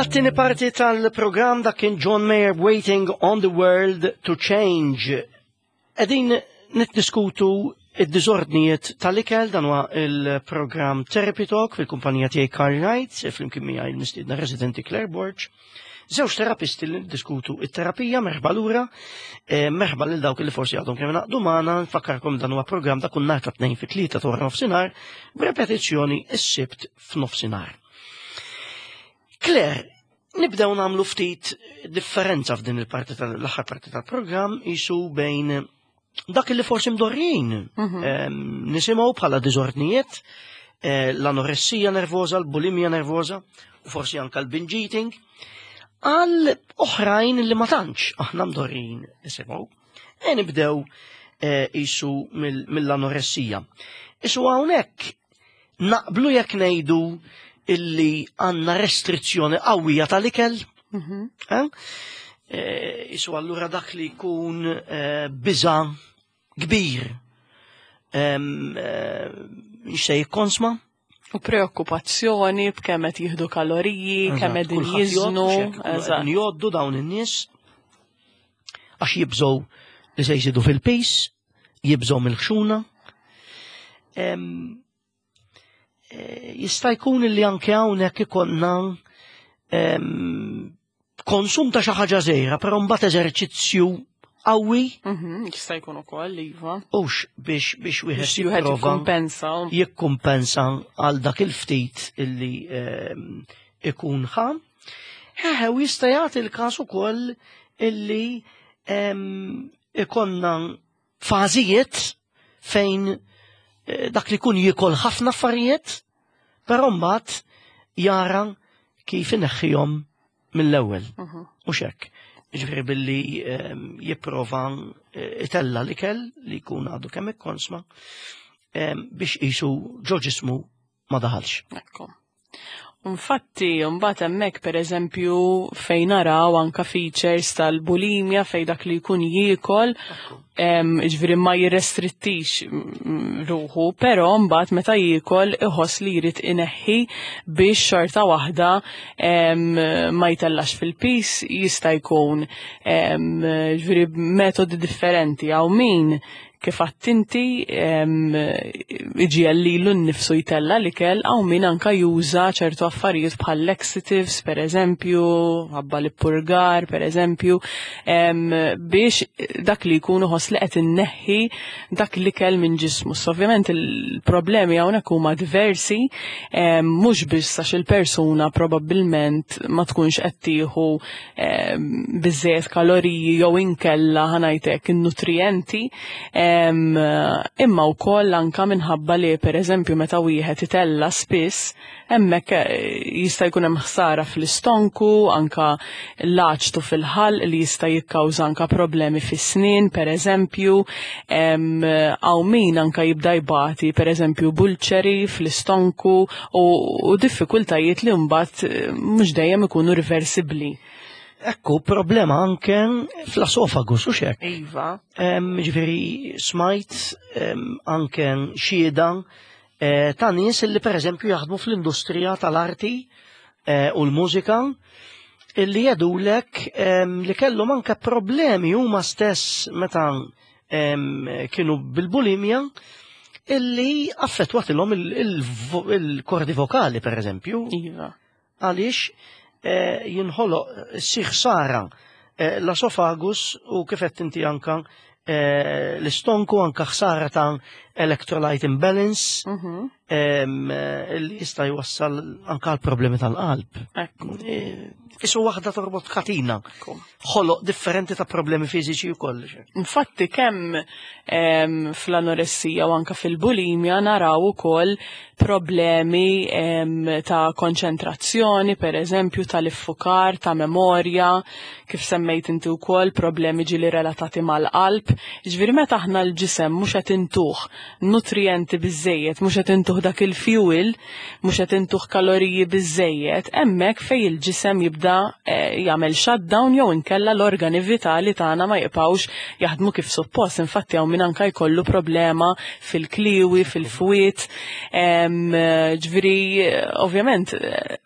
Għat-tieni parti tal-programm dak kien John Mayer Waiting on the World to Change. Qegħdin niddiskutu Id-diżordnijiet tal-ikel dan huwa il-programm Therapy Talk fil-kumpanija tiegħi Carl Knight, flimkien miegħi l-mistiedna residenti Claire Borg. Żewġ terapisti li diskutu it-terapija merħba lura, eh, merħba lil dawk li forsi għadhom kemm naqdu magħna, nfakkarkom dan huwa programm ta' kull nhar ta' tnejn fit-tlieta ta' wara nofsinhar, b'repetizzjoni s-sibt f'nofsinhar. Claire, nibdew nagħmlu ftit differenza f'din il-parti tal-aħħar parti tal-programm isu bejn dak li forsi mdorrin mhm. nisimgħu bħala diżordnijiet, eh, l-anoressija nervoza, l-bulimja nervoza, u forsi anka l-binge eating, għal oħrajn li ma tantx aħna mdorrin nisimgħu. E nibdew eh, isu mill-anoressija. Isu hawnhekk naqblu jekk ngħidu illi għandna restrizzjoni qawwija tal-ikel. Mhm. Eh? Eh, isu allura dak li jkun eh, biża kbir se jikkonsma. U preokkupazzjoni b'kemm qed jieħdu kaloriji, kemm qegħdin jiżnu. Joddu dawn in-nies għax jibżgħu li se jżidu fil-pis, jibżgħu mill-ħxuna. Eh, jista' jkun li anke hawnhekk ikollna konsum ta' xi ħaġa żgħira, però mbagħad eżerċizzju qawwi. Mhm, jista' jkun ukoll, iva. Hux biex biex wieħed jikkumpensa. Jikkumpensa għal dak il-ftit illi ikun ħa. Eħe, u jista' jagħti l-każ ukoll illi ikonna fażijiet fejn eh, dak li kun jikol ħafna affarijiet, però mbagħad jara kif ineħħihom mill-ewwel. Mhm. Mhux hekk. Ġifieri billi ehm, jipprova eh, itella l-ikel li jkun għadu kemm ikkonsma ehm, biex qisu ġo ġismu ma daħalx. Ekku. Infatti, mbagħad hemmhekk pereżempju fejn naraw anka features tal-bulimja fejn dak li jkun jiekol, ġifieri ma jirrestrittix ruħu, però mbagħad meta jiekol iħoss li jrid ineħħi biex xorta waħda ma jtellax fil-pis jista' jkun ġifieri metodi differenti hawn min Kif għedt inti, iġiegħel lilu nnifsu jtella' l-ikel, hawn min anka juża ċertu affarijiet bħal laxatives, per eżempju, ħabba l-ippurgar, per eżempju, biex dak li jkun iħoss li qed inneħħi dak l-ikel minn ġismu. So, ovvjament il-problemi hawnhekk huma diversi, mhux biss għax il-persuna probabbilment ma tkunx qed tieħu biżżejjed kaloriji jew inkella ħanajtek in-nutrijenti, imma wkoll anka minħabba li pereżempju meta wieħed itella spiss hemmhekk eh, jista' jkun hemm ħsara fl-istonku, anka l-aċtu fil-ħalq li jista' jikkawża anka problemi fis-snien pereżempju, hawn min anka jibda jbati pereżempju bulċeri fl-istonku u diffikultajiet li mbagħad eh, mhux dejjem ikunu riversibbli. Ekku, problema anke fl-esofagus, u xek. Iva. Ġifieri, smajt anke xieda eh, ta' nies li per eżempju jaħdmu fl-industrija tal-arti eh, u l-mużika illi jedulek li kellhom anke problemi huma stess meta kienu bil-bulimja illi affettwatilhom il-kordi vokali per eżempju. Iva. Għaliex eh, jinħoloq sir ħsara eh, l-esofagus u kif qed inti anka eh, l-istonku anka ħsara ta' electrolyte imbalance mhm. li jista' jwassal anka għal problemi tal-qalb. Isu waħda torbot katina. Ħoloq differenti ta' problemi fiżiċi wkoll. Infatti kemm fl-anoressija u anka fil-bulimja naraw ukoll problemi ta' konċentrazzjoni, per eżempju, tal-iffukar, ta' memorja, kif semmejt inti wkoll problemi ġili relatati mal-qalb. Ġifieri meta aħna l-ġisem mhux qed intuh nutrienti biżejjed, mhux qed intuh dak il-fuel, mhux qed intuh kaloriji biżejjed, hemmhekk fejn il-ġisem jibda eh, jagħmel shutdown jew inkella l-organi vitali tagħna ma jibqgħux jaħdmu kif suppost. Infatti hawn min anka jkollu problema fil-kliwi, fil-fwiet. Ġifieri ovvjament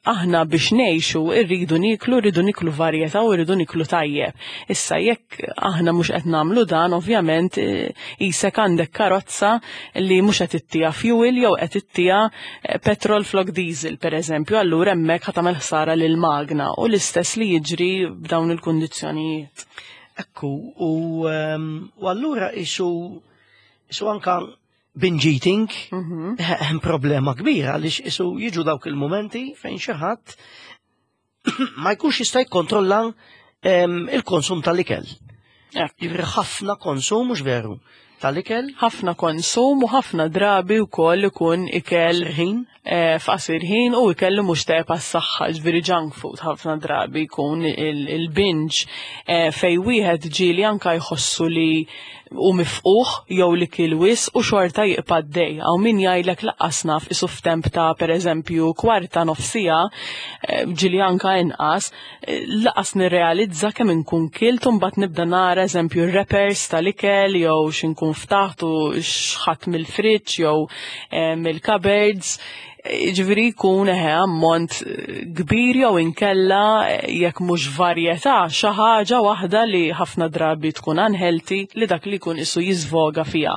aħna biex ngħixu rridu niklu, rridu niklu varjetà u rridu niklu tajjeb. Issa jekk aħna mhux qed nagħmlu dan, ovvjament eh, isek għandek karozza li mhux qed ittija fuel jew qed ittija petrol flok diesel pereżempju, allura hemmhekk ħa tagħmel ħsara lil magna u l-istess li jiġri b'dawn il-kundizzjonijiet. Ekku, u allura isu anka binge eating hemm problema kbira għaliex isu jiġu dawk il-momenti fejn xi ħadd ma jkunx jista' jikkontrolla il-konsum tal-ikel. Jiġifieri ħafna konsum, mhux veru, tal-ikel. Ħafna konsum u ħafna drabi wkoll ikun ikel ħin f'qasir ħin u ikel li mhux tajjeb għas-saħħa, ġifieri junk food ħafna drabi jkun il-binge fej wieħed ġieli anka jħossu li u mifquħ jew li kil wisq u xorta jibqa' għaddej. Hawn min jgħidlek laqqas naf isu f'temp ta' pereżempju kwarta nofsija, ġieli anka inqas, laqas nirrealizza kemm inkun kilt u mbagħad nibda nara eżempju wrappers tal-ikel jew x'inkun ftaħt u x'ħadd mill-fridge jew mill-cupboards. Ġifieri jkun eħe ammont kbir jew inkella jekk mhux varjetà xi ħaġa waħda li ħafna drabi tkun unhealthy li dak li jkun isu jiżvoga fiha.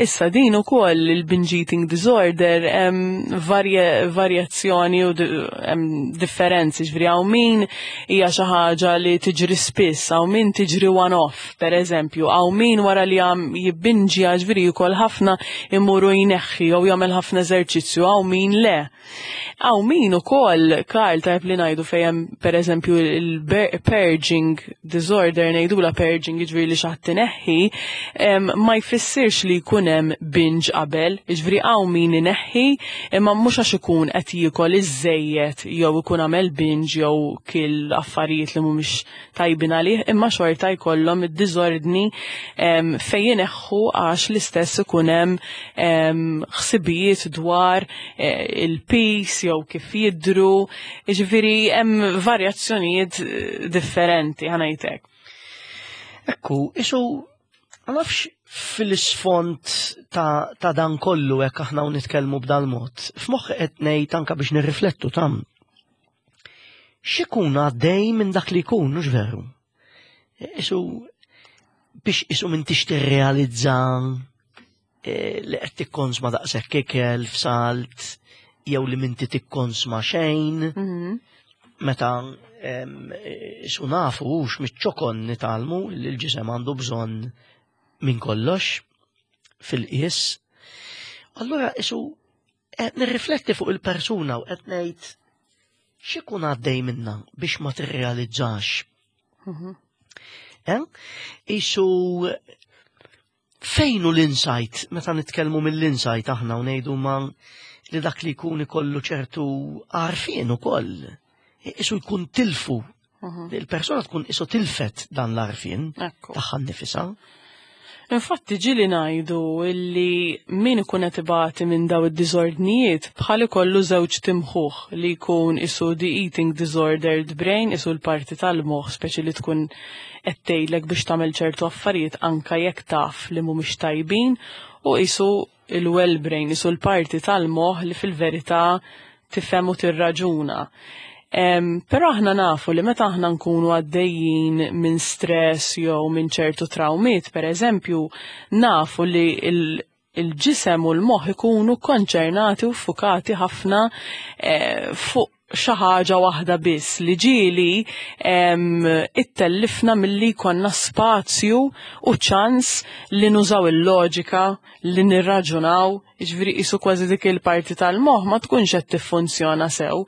Issa din ukoll il-binge eating disorder hemm varjazzjoni u hemm differenzi, ġifieri hawn min hija xi ħaġa li tiġri spiss, hawn min tiġri one off, per eżempju, hawn min wara li għam jibbinġja, ġifieri jkoll ħafna imuru jneħħi jew jagħmel ħafna eżerċizzju, hawn min le. Hawn min ukoll, Karl, tajb li ngħidu fejn hemm pereżempju il-purging disorder, ngħidula purging, jiġifieri li xi ħadd ineħħi, ma jfissirx li jkun hemm binge qabel, jiġifieri hawn min ineħħi, imma mhux għax ikun qed jiekol iżejjed jew ikun għamel binge jew kil affarijiet li mhumiex tajbin għalih, imma xorta jkollhom id-diżordni fejn ineħħu għax l-istess ikun hemm ħsibijiet dwar il-peace jew kif jidru, jiġifieri hemm varjazzjonijiet differenti ħanajtek. Ekku, isu ma nafx fil-isfond ta' dan kollu hekk aħna u nitkellmu b'dal mod. F'moħħi qed ngħid anke biex nirriflettu tam. X'ikun għaddej minn dak li jkun, mhux veru? Isu biex isu minn tix tirrealizza li qed tikkonsma daqshekk ikel f'salt jew li minti tikkonsma xejn. Meta isu nafu hux miċ-ċokon nitgħallmu li l-ġisem għandu bżonn minn kollox fil-qies. Allura isu qed nirrifletti fuq il-persuna u qed ngħid x'ikun għaddej minna biex ma tirrealizzax. Isu fejnu l-insight, meta nitkellmu mill-insight aħna u ngħidu ma li dak li jkun ikollu ċertu għarfien ukoll. Isu jkun tilfu. Il-persona tkun isu tilfet dan l-għarfien tagħha nnifisha. Infatti ġieli ngħidu illi min ikun qed ibati minn daw id-diżordnijiet bħal ikollu żewġ timħuħ li jkun isu the eating disordered brain, isu l-parti tal-moħħ speċi li tkun qed tgħidlek biex tagħmel ċertu affarijiet anka jekk taf li mhumiex tajbin, u isu il-well brain, isu l-parti tal-moħħ li fil-verità tifhem u tirraġuna. Però aħna nafu li meta aħna nkunu għaddejjin minn stress jew minn ċertu trawmiet, per eżempju, nafu li il-ġisem u l-moħħ ikunu konċernati u fukati ħafna fuq xi ħaġa waħda biss li ġieli ittellifna milli jkollna spazju u ċans li nużaw il-loġika, li nirraġunaw, jiġifieri qisu kważi dik il-parti tal-moħħ ma tkunx qed tiffunzjona sew.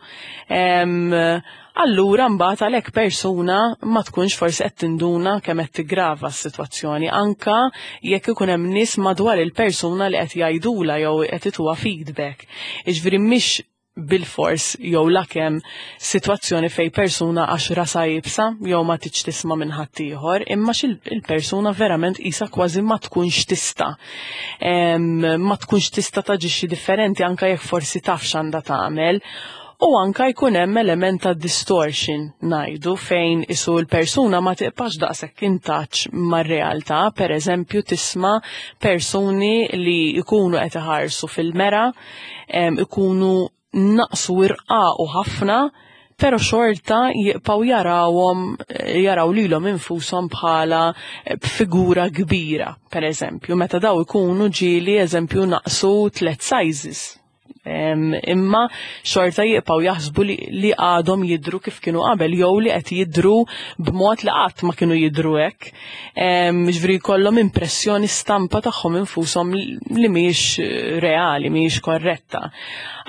Allura mbagħad għalhekk persuna ma tkunx forsi qed tinduna kemm qed tiggrava s-sitwazzjoni, anka jekk ikun hemm nies madwar il-persuna li qed jgħidula jew qed ituha feedback. Jiġifieri mhix bil-fors jew lakemm sitwazzjoni fej persuna għax rasa jibsa jew ma tiġ tisma' minn ħaddieħor, imma il-persuna verament isa kważi ma tkunx tista'. Ma tkunx tista' taġixxi differenti anka jekk forsi taf x'għandha tagħmel. U anka jkun hemm element ta' distortion ngħidu fejn isu l-persuna ma tiqpax daqshekk in touch mar-realtà, per eżempju tisma' persuni li jkunu qed iħarsu fil-mera, ikunu naqsu irqaqu ħafna, però xorta jibqgħu jarawhom jaraw lilhom infushom bħala figura kbira, per eżempju, meta daw ikunu ġieli eżempju naqsu tlet sizes. Imma xorta jibqgħu jaħsbu li għadhom jidru kif kienu qabel jew li qed jidru b'mod li qatt ma kienu jidru hekk. Ġifieri jkollhom impressjoni stampa tagħhom infushom li mhijiex reali, mhijiex korretta.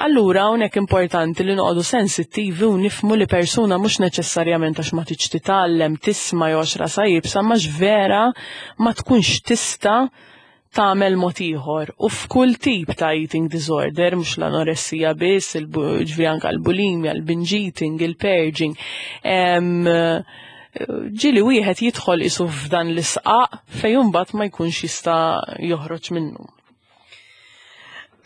Allura hawnhekk importanti li noqogħdu sensittivi u nifhmu li persuna mhux neċessarjament għax ma tridx titgħallem, tisma' jew għax rasha iebsa, ma vera ma tkunx tista' tagħmel mod ieħor. U f'kull tip ta' eating disorder, mhux l-anoressija biss, ġifieri anke l-bulimia, l-binge eating, il-purging. Ġieli wieħed jidħol isu f'dan l-isqaq fejn imbagħad ma jkunx jista' joħroġ minnu.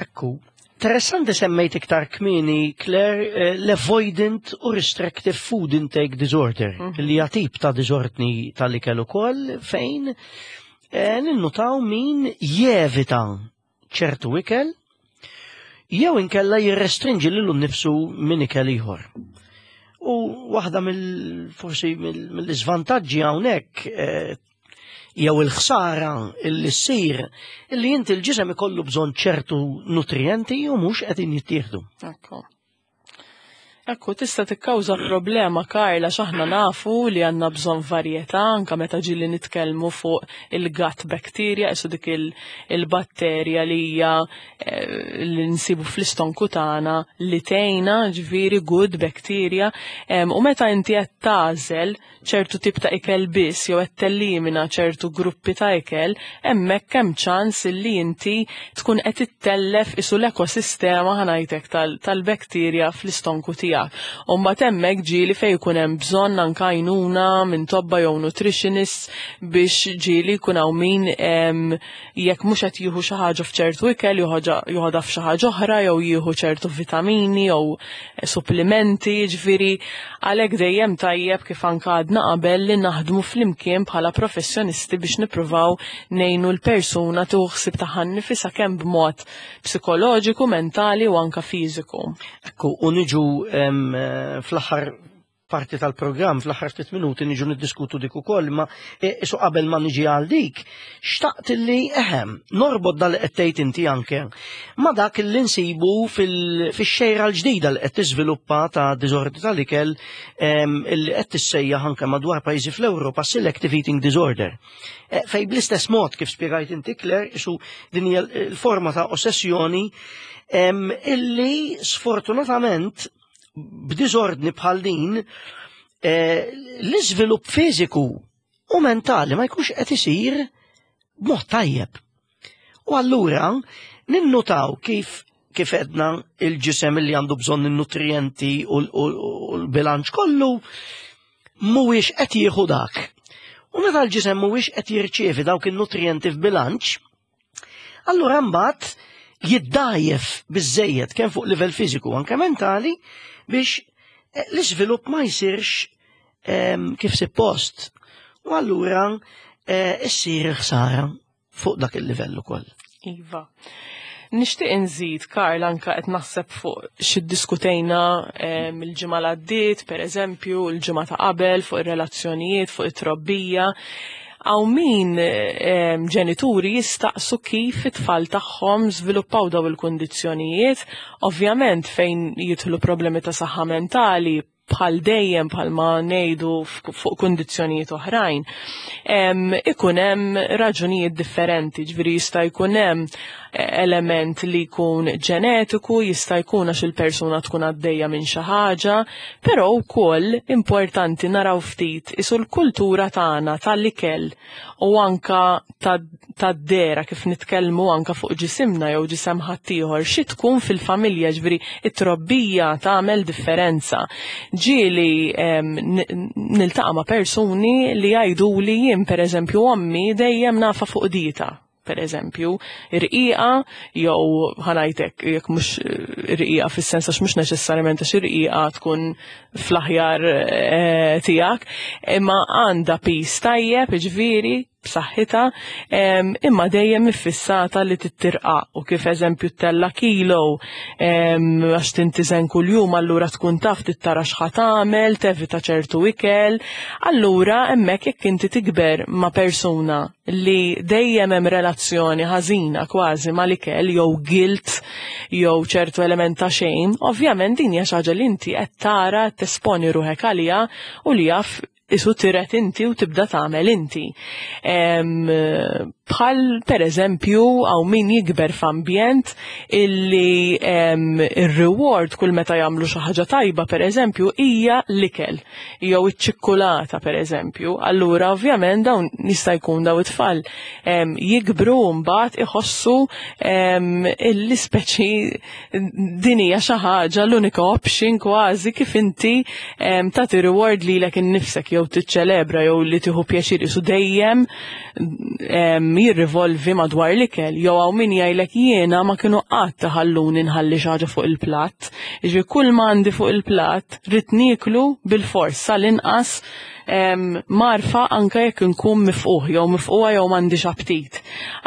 Ekku, interessanti semmejt iktar kmieni, Claire, l-avoidant u restrictive food intake disorder, li hija tip ta' disordni tal-ikel ukoll fejn ninnutaw min jevita ċertu ikel jew inkella jirrestrinġi lilu nnifsu minn ikel ieħor. U waħda mill forsi mill-iżvantaġġi hawnhekk jew il-ħsara illi ssir illi inti l-ġisem ikollu bżonn ċertu nutrienti u mhux qegħdin jittieħdu. Ekku. Ekku, tista' tikkawża problema, Karla, x'aħna nafu li għandna bżonn varjetà, anka meta ġieli nitkellmu fuq il-gut bacteria, isu dik il-batterja li hija li nsibu fl-istonku tagħna li tgħinna, ġifieri good bacteria, u meta inti qed tagħżel ċertu tip ta' ikel biss jew qed tellimina ċertu gruppi ta' ikel, hemmhekk hemm ċans li inti tkun qed ittellef isu l-ekosistema, ħa ngħidlek, tal-bakterja fl-istonku tiegħek. U mbagħad hemmhekk ġieli fejn jkun hemm bżonn anke għajnuna minn tobba jew nutritionists biex ġieli jkun hawn min jekk mhux qed jieħu xi ħaġa f'ċertu ikel joħodha f'xi ħaġa oħra jew jieħu ċertu vitamini jew supplimenti, ġifieri għalhekk dejjem tajjeb kif anke għadna qabel li naħdmu flimkien bħala professjonisti biex nippruvaw ngħinu l-persuna tieħu ħsieb tagħha nnifisha kemm b'mod psikoloġiku, mentali u anka fiżiku. Ekku, u niġu fl-aħħar parti tal-programm, fl-aħħar ftit minuti niġu niddiskutu dik ukoll, ma isu qabel ma niġi għal dik, xtaqt li eħem, norbot dal qed tgħid inti anke ma dak li nsibu fix-xejra l-ġdida li qed tiżviluppa ta' diżordni tal-ikel illi qed tissejjaħ anke madwar pajjiżi fl-Ewropa selective eating disorder. Fej bl-istess mod kif spjegajt inti, Claire, isu din hija l-forma ta' ossessjoni illi sfortunatament b'diżordni bħal din l-iżvilupp fiżiku u mentali ma jkunx qed isir b'mod tajjeb. U allura ninnutaw kif edna il-ġisem li għandu bżonn in-nutrienti u l-bilanċ kollu mhuwiex qed jieħu dak. U meta l-ġisem mhuwiex qed jirċievi dawk in-nutrienti f'bilanċ, allura mbagħad jiddajjef biżejjed kemm fuq livell fiżiku anke mentali biex l-iżvilupp ma jsirx kif suppost. U allura issir ħsara fuq dak il-livell ukoll. Iva. Nixtieq inżid, Karl, anka qed naħseb fuq xi ddiskutejna il-ġimgħa l għaddiet, pereżempju, il-ġimgħa ta' qabel fuq ir-relazzjonijiet, fuq it-trobbija. Hawn min ġenituri jistaqsu kif it-tfal tagħhom żviluppaw daw il-kundizzjonijiet, ovvjament fejn jidħlu problemi ta' saħħa mentali, bħal dejjem bħalma ngħidu fuq kundizzjonijiet oħrajn, ikun hemm raġunijiet differenti, ġifieri jista' jkun hemm element li jkun ġenetiku, jista' jkun għax il-persuna tkun għaddejja minn xi ħaġa, però wkoll importanti naraw ftit isu l-kultura tagħna tal-ikel u anka tad-dera kif nitkellmu anka fuq ġisimna jew ġisem ħaddieħor, xi tkun fil-familja, ġifieri it-trobbija tagħmel differenza. Ġieli niltaqa' ma' persuni li jgħidu li jien, pereżempju, ommi dejjem nafa fuq dieta, per eżempju, irqiqa, jew ħa ngħidlek, jekk mhux irqiqa fis-sens għax mhux neċessarjament għax irqiqa tkun fl-aħjar tiegħek, imma għandha pis tajjeb, ġifieri, b'saħħitha, imma dejjem iffissata li tittirqa u kif eżempju tella kilo għax tintiżen kuljum allura tkun taf tittara x'ħa tagħmel, tevita ċertu ikel. Allura hemmhekk jekk inti tikber ma' persuna li dejjem hemm relazzjoni ħażina kważi mal-ikel jew guilt jew ċertu element ta' xejn, ovvjament din hija xi ħaġa li inti qed tara tesponi ruħek għaliha u li jaf isu tiret inti u tibda tagħmel inti. Bħal per eżempju għaw min jikber f'ambjent illi ir-reward kull meta jagħmlu xi ħaġa tajba per eżempju hija l-ikel jew iċ-ċikkulata per eżempju. Allura ovvjament dawn jista' jkun daw it-tfal jikbru mbagħad iħossu illi speċi din hija xi ħaġa l-unika option kważi kif inti tagħti reward lilek innifsek jew tiċċelebra jew li tieħu pjaċir isu dejjem jirrivolvi madwar l-ikel jew hawn min jgħidlek jiena ma kienu qatt iħalluni nħalli xi ħaġa fuq il-platt. Jiġifieri kull ma għandi fuq il-platt rrid nieklu bilfors sal-inqas marfa anke jekk inkun mifquh jew mifquha jew m'għandix aptit.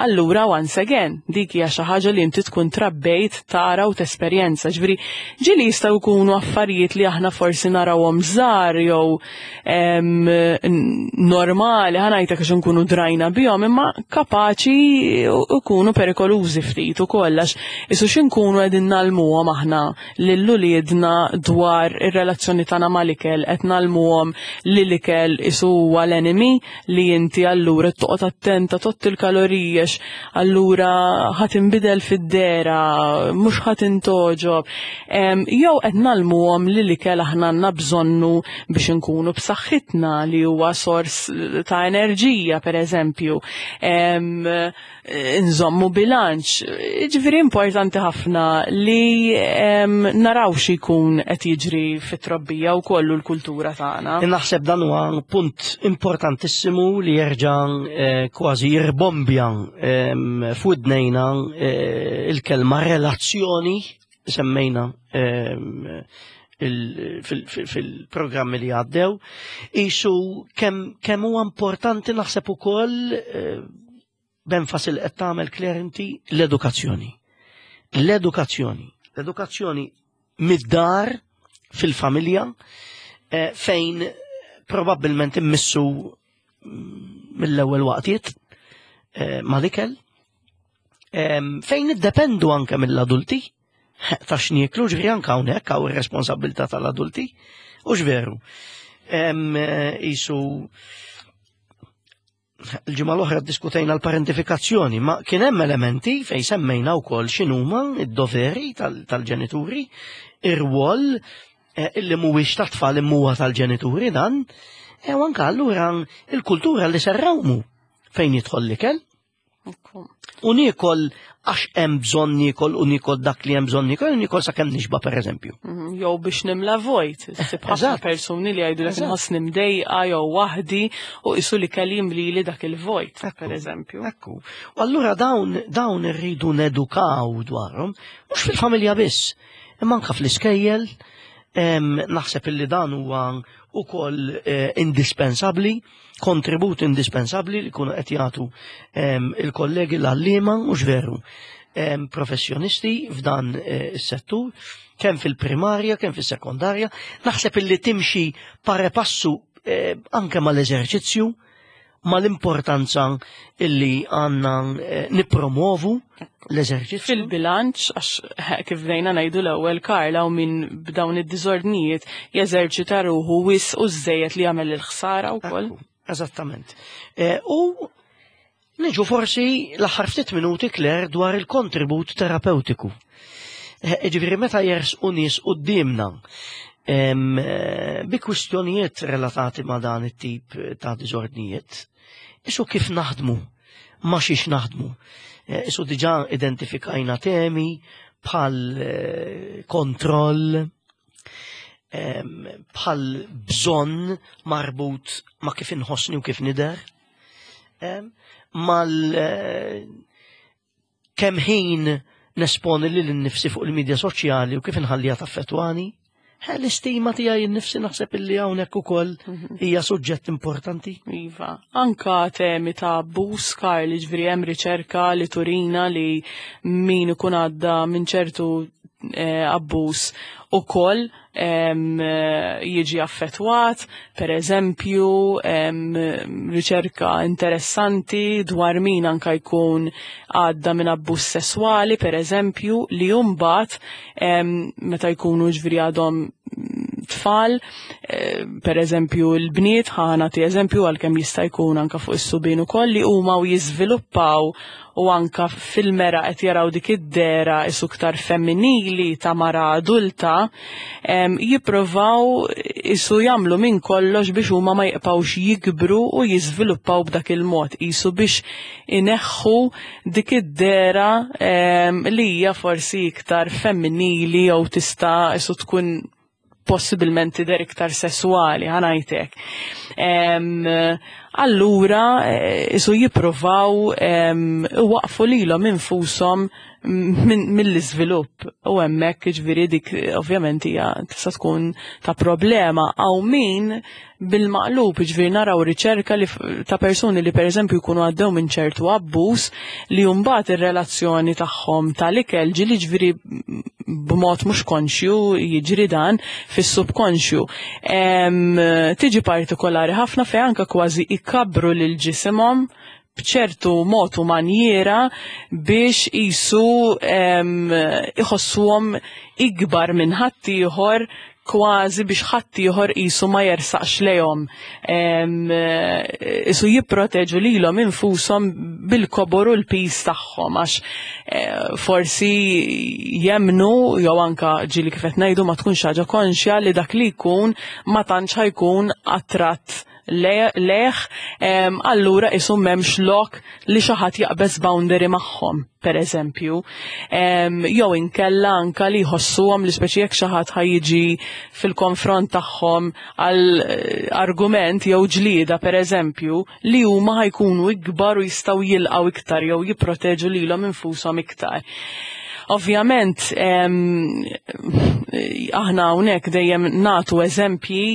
Allura once again, dik hija xi ħaġa li inti tkun trabbejt tara u tesperjenza. Ġifieri ġieli jistgħu jkunu affarijiet li aħna forsi narawhom żgħar jew normali, ħa ngħidlek għax nkunu drajna bihom, imma kapaċi jkunu perikolużi ftit ukoll għax isu x'inkunu qegħdin nagħlmuhom aħna lil uliedna dwar ir-relazzjoni tagħna mal-ikel, qed nagħlmuhom li l-ikel isu huwa l-enemy li inti allura toqgħod attenta tott il-kaloriji għax allura ħa tinbidel fid-dehra, mhux ħa tintoġob. Jew qed nagħlmuhom li l-ikel aħna għandna bżonnu biex inkunu b'saħħitna li huwa sors ta' enerġija pereżempju. Nżommu bilanċ. Ġifieri importanti ħafna li naraw xi jkun qed jiġri fit-trobbija u kollu l-kultura tagħna. Naħseb dan huwa punt importantissimu li jerġa' eh, kważi jirbombja f'widnejna eh, il-kelma relazzjoni semmejna fil-programmi li għaddew. Isu kemm huwa importanti naħseb ukoll eh, b'enfasi li qed tagħmel Claire inti l-edukazzjoni. L-edukazzjoni. L-edukazzjoni mid-dar fil-familja eh, fejn probabbilment immissu mm, mill-ewwel waqtiet eh, mal-ikel fejn niddependu anke mill-adulti ta' x'nieklu ġifieri anke hawnhekk hawn ir-responsabilità tal-adulti u x'veru. Eh, isu l-ġimgħa l-oħra ddiskutejna l-parentifikazzjoni, ma kien hemm elementi fejn semmejna wkoll x'inhuma d-doveri tal-ġenituri, ir-rwol eh, illi mhuwiex tat-tfal imma huwa tal-ġenituri dan, e u anke allura il-kultura li serrawmu fejn jidħol l-ikel. U niekol għax hemm bżonn niekol u niekol dak li hemm bżonn niekol, u niekol sakemm nixba pereżempju. Mhm, jew biex nimla vojt, issib ħafna persuni li jgħidu lek inħossni mdejqa jew waħdi u qisu li kelli jimlili dak il-vojt, pereżempju. Ekku. U allura dawn dawn irridu nedukaw dwarhom, mhux fil-familja biss, imma anke fl-iskejjel, naħseb illi dan huwa ukoll eh, indispensabbli kontribut indispensabbli li kunu qed jagħtu ehm, il-kollegi l-għalliema mhux veru ehm, professjonisti f'dan eh, is-settur kemm fil-primarja, kemm fis-sekondarja, naħseb illi timxi pare passu eh, anke mal-eżerċizzju, mal-importanza illi għanna eh, nipromovu l-eżerċizzju. Fil-bilanċ, għax eh, kif bdejna ngħidu l-ewwel Karla u min b'dawn id-diżordnijiet jeżerċita ruħu wis u żejjed li jagħmel il-ħsara wkoll. Eżattament. Eh, u niġu forsi l-aħħar ftit minuti Claire dwar il-kontribut terapeutiku. Eh, ġifieri meta jersqu nies quddiemna bi kwistjonijiet relatati ma' dan it-tip ta' diżordnijiet, isu kif naħdmu ma' xiex naħdmu. Eh, isu diġà identifikajna temi bħal eh, kontroll, bħal bżonn marbut ma' kif inħossni u kif nider, mal eh, kemm ħin nesponi lil nnifsi fuq il-midja soċjali u kif inħalliha taffettwani. L-istima tiegħi nnifsi naħseb illi hawnhekk ukoll mhm. hija suġġett importanti. Iva, anka temi ta' abbuż Karl, ġifieri hemm riċerka li turina li min ikun għadda minn ċertu eh, abbuż ukoll jiġi affettwat, per eżempju, riċerka interessanti dwar min anka jkun għadda minn abbuż sesswali, per eżempju, li mbagħad meta jkunu ġviri għadhom tfal, eh, per eżempju l-bniet, ħana ti eżempju għalkemm jista' jkun anka fuq is-subien ukoll li huma u jiżviluppaw u anka fil-mera qed jaraw dik id-dera isu iktar femminili ta' mara adulta, jipprovaw isu jagħmlu minn kollox biex huma ma jibqgħux jikbru u jiżviluppaw b'dak il-mod, isu biex ineħħu dik id-dera li hija forsi iktar femminili jew tista' isu tkun possibilment tidher iktar sesswali, ħanajtek. Allura, eh, isu jipprovaw waqfu lilhom infushom mill-iżvilupp u hemmhekk ġifieri dik ovvjament hija tista' tkun ta' problema għaw min bil-maqlub, ġifieri naraw riċerka li ta' persuni li pereżempju jkunu għaddew minn ċertu abbuż li mbagħad ir-relazzjoni tagħhom tal-ikel ġieli ġifieri b'mod mhux konxju jiġri dan fis-subkonxju. Tiġi partikolari ħafna fejn anke kważi ikabru lil ġisimhom b'ċertu mod u manjiera biex isu iħossuhom ikbar minn ħaddieħor kważi biex ħaddieħor qisu ma jersaqx lejhom. Isu jipproteġu lilhom infushom bil-kobor u l-piż tagħhom għax eh, forsi jemnu jew anka ġieli kif qed ngħidu ma tkunx ħaġa konxja li dak li jkun ma tantx ħajkun attratt leħ, allura isu m'hemmx lok li xi ħadd jaqbeż boundary magħhom, per eżempju. Jew inkella anka li jħossuhom li speċi jekk xi ħadd ħajjiġi fil-konfront tagħhom għal eh, argument jew ġlieda per eżempju, li huma ħajkunu ikbar u jistgħu jilqgħu iktar jew jipproteġu lilhom infushom iktar. Ovvjament, aħna hawnhekk dejjem nagħtu eżempji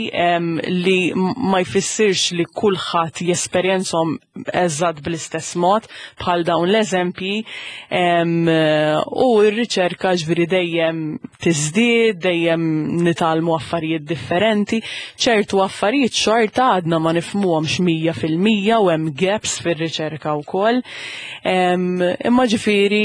li ma jfissirx li kulħadd jesperjenzhom eżatt bl-istess mod bħal dawn l-eżempji u r-riċerka ġviri dejjem tiżdied, dejjem nitgħallmu affarijiet differenti, ċertu affarijiet xorta għadna ma nifhmuhomx 100% u hemm gaps fir-riċerka wkoll. Imma ġifieri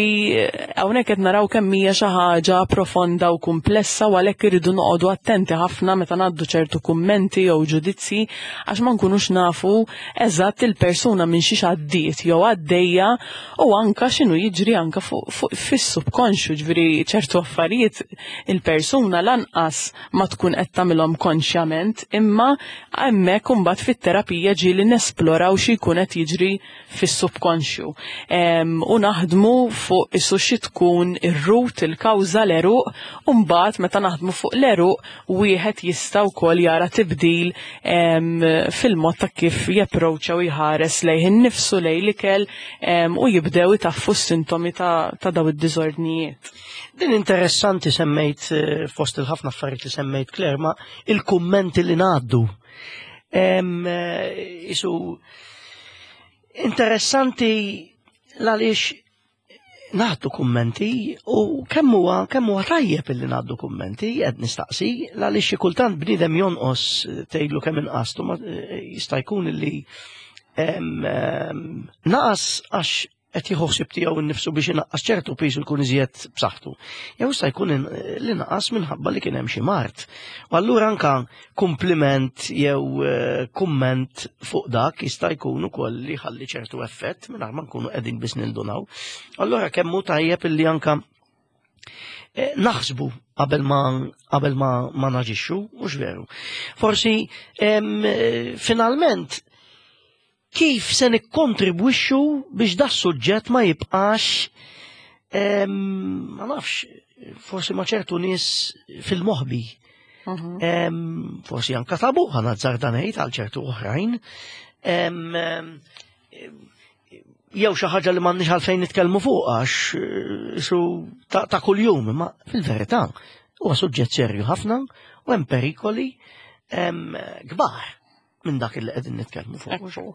hawnhekk qed naraw kemm hija xi ħaġa profonda u kumplessa u għalhekk irridu noqogħdu attenti ħafna meta ngħaddu ċertu kummenti jew ġudizzji għax ma nkunux nafu eżatt il-persuna minn xiex għaddiet jew għaddejja u anka x'inhu jiġri anka fuq fis-subkonxju, ġifieri ċertu affarijiet il-persuna lanqas ma tkun qed tagħmilhom konxjament, imma hemmhekk imbagħad fit-terapija ġieli nesploraw xi jkun qed jiġri fis-subkonxju. U naħdmu fuq isu xi tkun ir-root, il-kawża, l-għeruq, u mbagħad meta naħdmu fuq l-għeruq wieħed jista' wkoll jara tibdil fil-mod ta' kif japproċċa u jħares lejh innifsu, lejn l-ikel u jibdew itaffu s-sintomi ta' daw id-diżordnijiet. Din interessanti semmejt eh, fost il-ħafna affarijiet li semmejt Claire, ma il-kummenti li ngħaddu. Eh, isu interessanti l-għaliex ngħaddu kummenti u kemm huwa kemm huwa tajjeb illi ngħaddu kummenti qed nistaqsi għaliex xi kultant bniedem jonqos tgħidlu kemm inqastu ma jista' jkun illi naqas għax qed jieħu ħsieb tiegħu nnifsu biex inaqqas ċertu piż u jkun iżjed b'saħħtu. Jew jista' jkun li naqas minħabba li kien hemm xi mard. U allura anka kumpliment jew eh, kumment fuq dak jista' jkun ukoll li ħalli ċertu effett mingħajr ma nkunu qegħdin biss nindunaw. Allura kemm hu tajjeb illi anka eh, naħsbu qabel ma qabel ma, ma naġixxu, mhux veru. Forsi eh, finalment kif se nikkontribwixxu biex da suġġett ma jibqax ma nafx, forsi ma ċertu nies fil-moħbi. Mhm. Forsi anka tabu ħana ngħid għal ċertu oħrajn. Jew xi ħaġa li m'għandniex għalfejn nitkellmu fuq għax eh, su ta' kuljum, imma fil-verità huwa suġġett serju ħafna. U hemm perikoli kbar minn dak li qegħdin nitkellmu fuq. Ekku.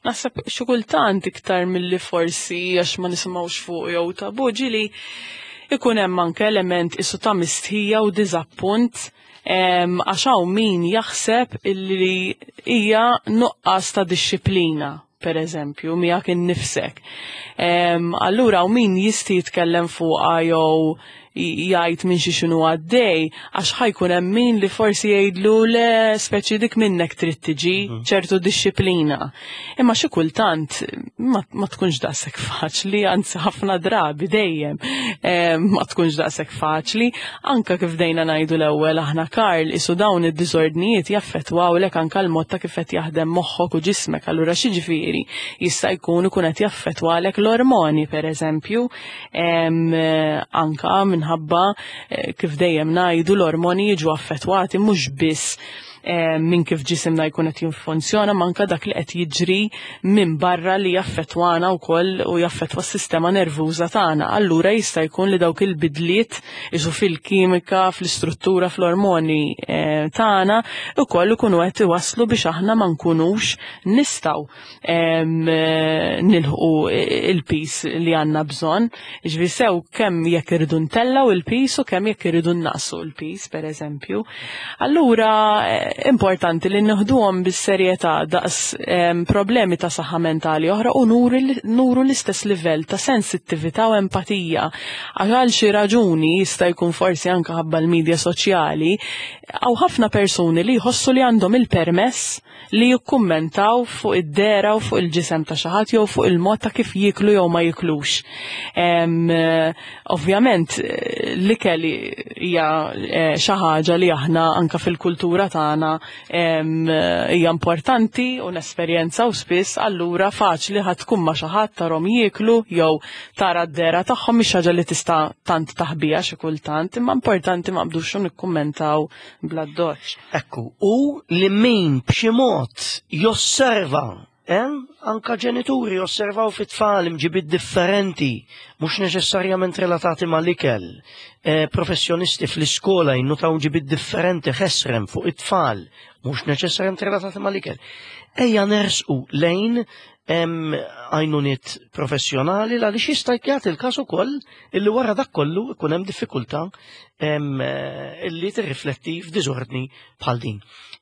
Naħseb xi kultant iktar milli forsi għax ma nisimgħux fuq jew tabu ġili ikun hemm anke element isu ta' mistħija u diżappunt għax hawn min jaħseb illi hija nuqqas ta' dixxiplina per eżempju, miegħek innifsek. Allura hawn min jisti jitkellem fuqha jew jgħid minn xi xinu għaddej, għax ħajkun hemm min li forsi jgħidlu le speċi dik minnek trid tiġi ċertu dixxiplina. Imma xi kultant ma, ma tkunx daqshekk faċli, anzi ħafna drabi dejjem ma tkunx daqshekk faċli. Anka kif dejna ngħidu l-ewwel aħna Karl isu dawn id-diżordnijiet jaffettwawlek anka l-mod ta' kif qed jaħdem moħħok u ġismek. Allura xi ġifieri jista' jkun ikun qed jaffettwalek l-ormoni pereżempju, anka minħabba kif dejjem ngħidu l-ormoni jiġu affettwati mhux biss minn kif ġisimna jkun qed jinfunzjona, manka dak li qed jiġri minn barra li jaffettwana wkoll u jaffettwa s-sistema nervuża tagħna. Allura jista' jkun li dawk il-bidliet isu fil-kimika, fl-istruttura, fl-ormoni tagħna ukoll ikunu qed iwasslu biex aħna ma nkunux nistgħu nilħqu il-pis li għandna bżonn. Ġifieri sew kemm jekk irridu ntellgħu il-pis u kemm jekk irridu naqsu l-pis, per eżempju. Allura importanti li nieħduhom bis-serjetà daqs problemi ta' saħħa mentali oħra u nuru l-istess livell ta' sensittività u empatija. Għax għal xi raġuni jista' jkun forsi anke ħabba l-medja soċjali, hawn ħafna persuni li jħossu li għandhom il-permess li jikkummentaw fuq id-dehra u fuq il-ġisem ta' xi ħadd jew fuq il-mod ta' kif jiklu jew ma jiklux. Ovvjament l-ikel hija xi ħaġa li aħna anka fil-kultura tagħna hija importanti u nesperjenzaw spiss, allura faċli ħadd tkun ma' xi ħadd tarhom jieklu jew tara d-dehra tagħhom, mhix ħaġa li tista' tant taħbija xi kultant, imma importanti ma nqbdux nikkummentaw bla doċ. Ekku, u li min b'xi mod josserva, anka ġenituri josservaw fit-tfal imġibiet differenti, mhux neċessarjament relatati mal-ikel, professjonisti fl-iskola jinnutaw imġibiet differenti ħesrem fuq it-tfal, mhux neċessarjament relatati mal-ikel. Ejja nersqu lejn għajnuniet professjonali għaliex jista' jagħti il-każ ukoll illi wara dak kollu ikun hemm diffikultà illi tirrifletti f'diżordni bħal din.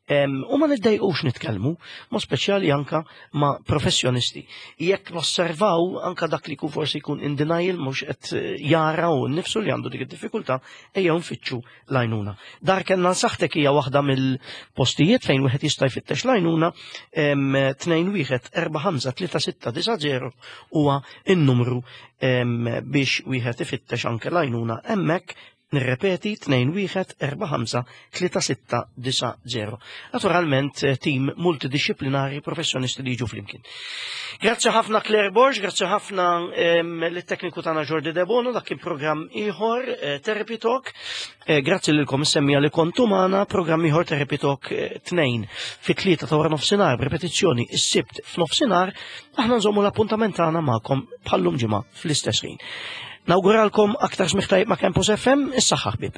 U ma niddejqux nitkellmu, ma speċjali anka ma' professjonisti. Jekk nosservaw anka dak li jkun forsi jkun in denial, mhux qed jara u nnifsu li għandu dik id-diffikultà, ejjew nfittxu l-għajnuna. Dar Kenn għal Saħħtek hija waħda mill-postijiet fejn wieħed jista' jfittex l-għajnuna, 21453690 huwa n-numru biex wieħed ifittex anke l-għajnuna hemmhekk. Nirrepeti, 21453690. Naturalment, tim multidisciplinari, professjonisti li jiġu flimkien. Grazzi ħafna Claire Borg, grazzi ħafna lit-tekniku tagħna Jordi Debono, dak kien programm ieħor Therapy Talk. Grazzi lilkom is-semmiegħa li kontu magħna, programm ieħor Therapy Talk 2 fit-3 ta' wara nofsinhar, b'repetizzjoni is-Sibt f'nofsinhar, aħna nżommu l-appuntament tagħna magħkom bħallum ġimgħa fl-istess ħin. Nawguralkom aktar smigħ tajjeb ma' Campus FM, is-saħħa ħbieb.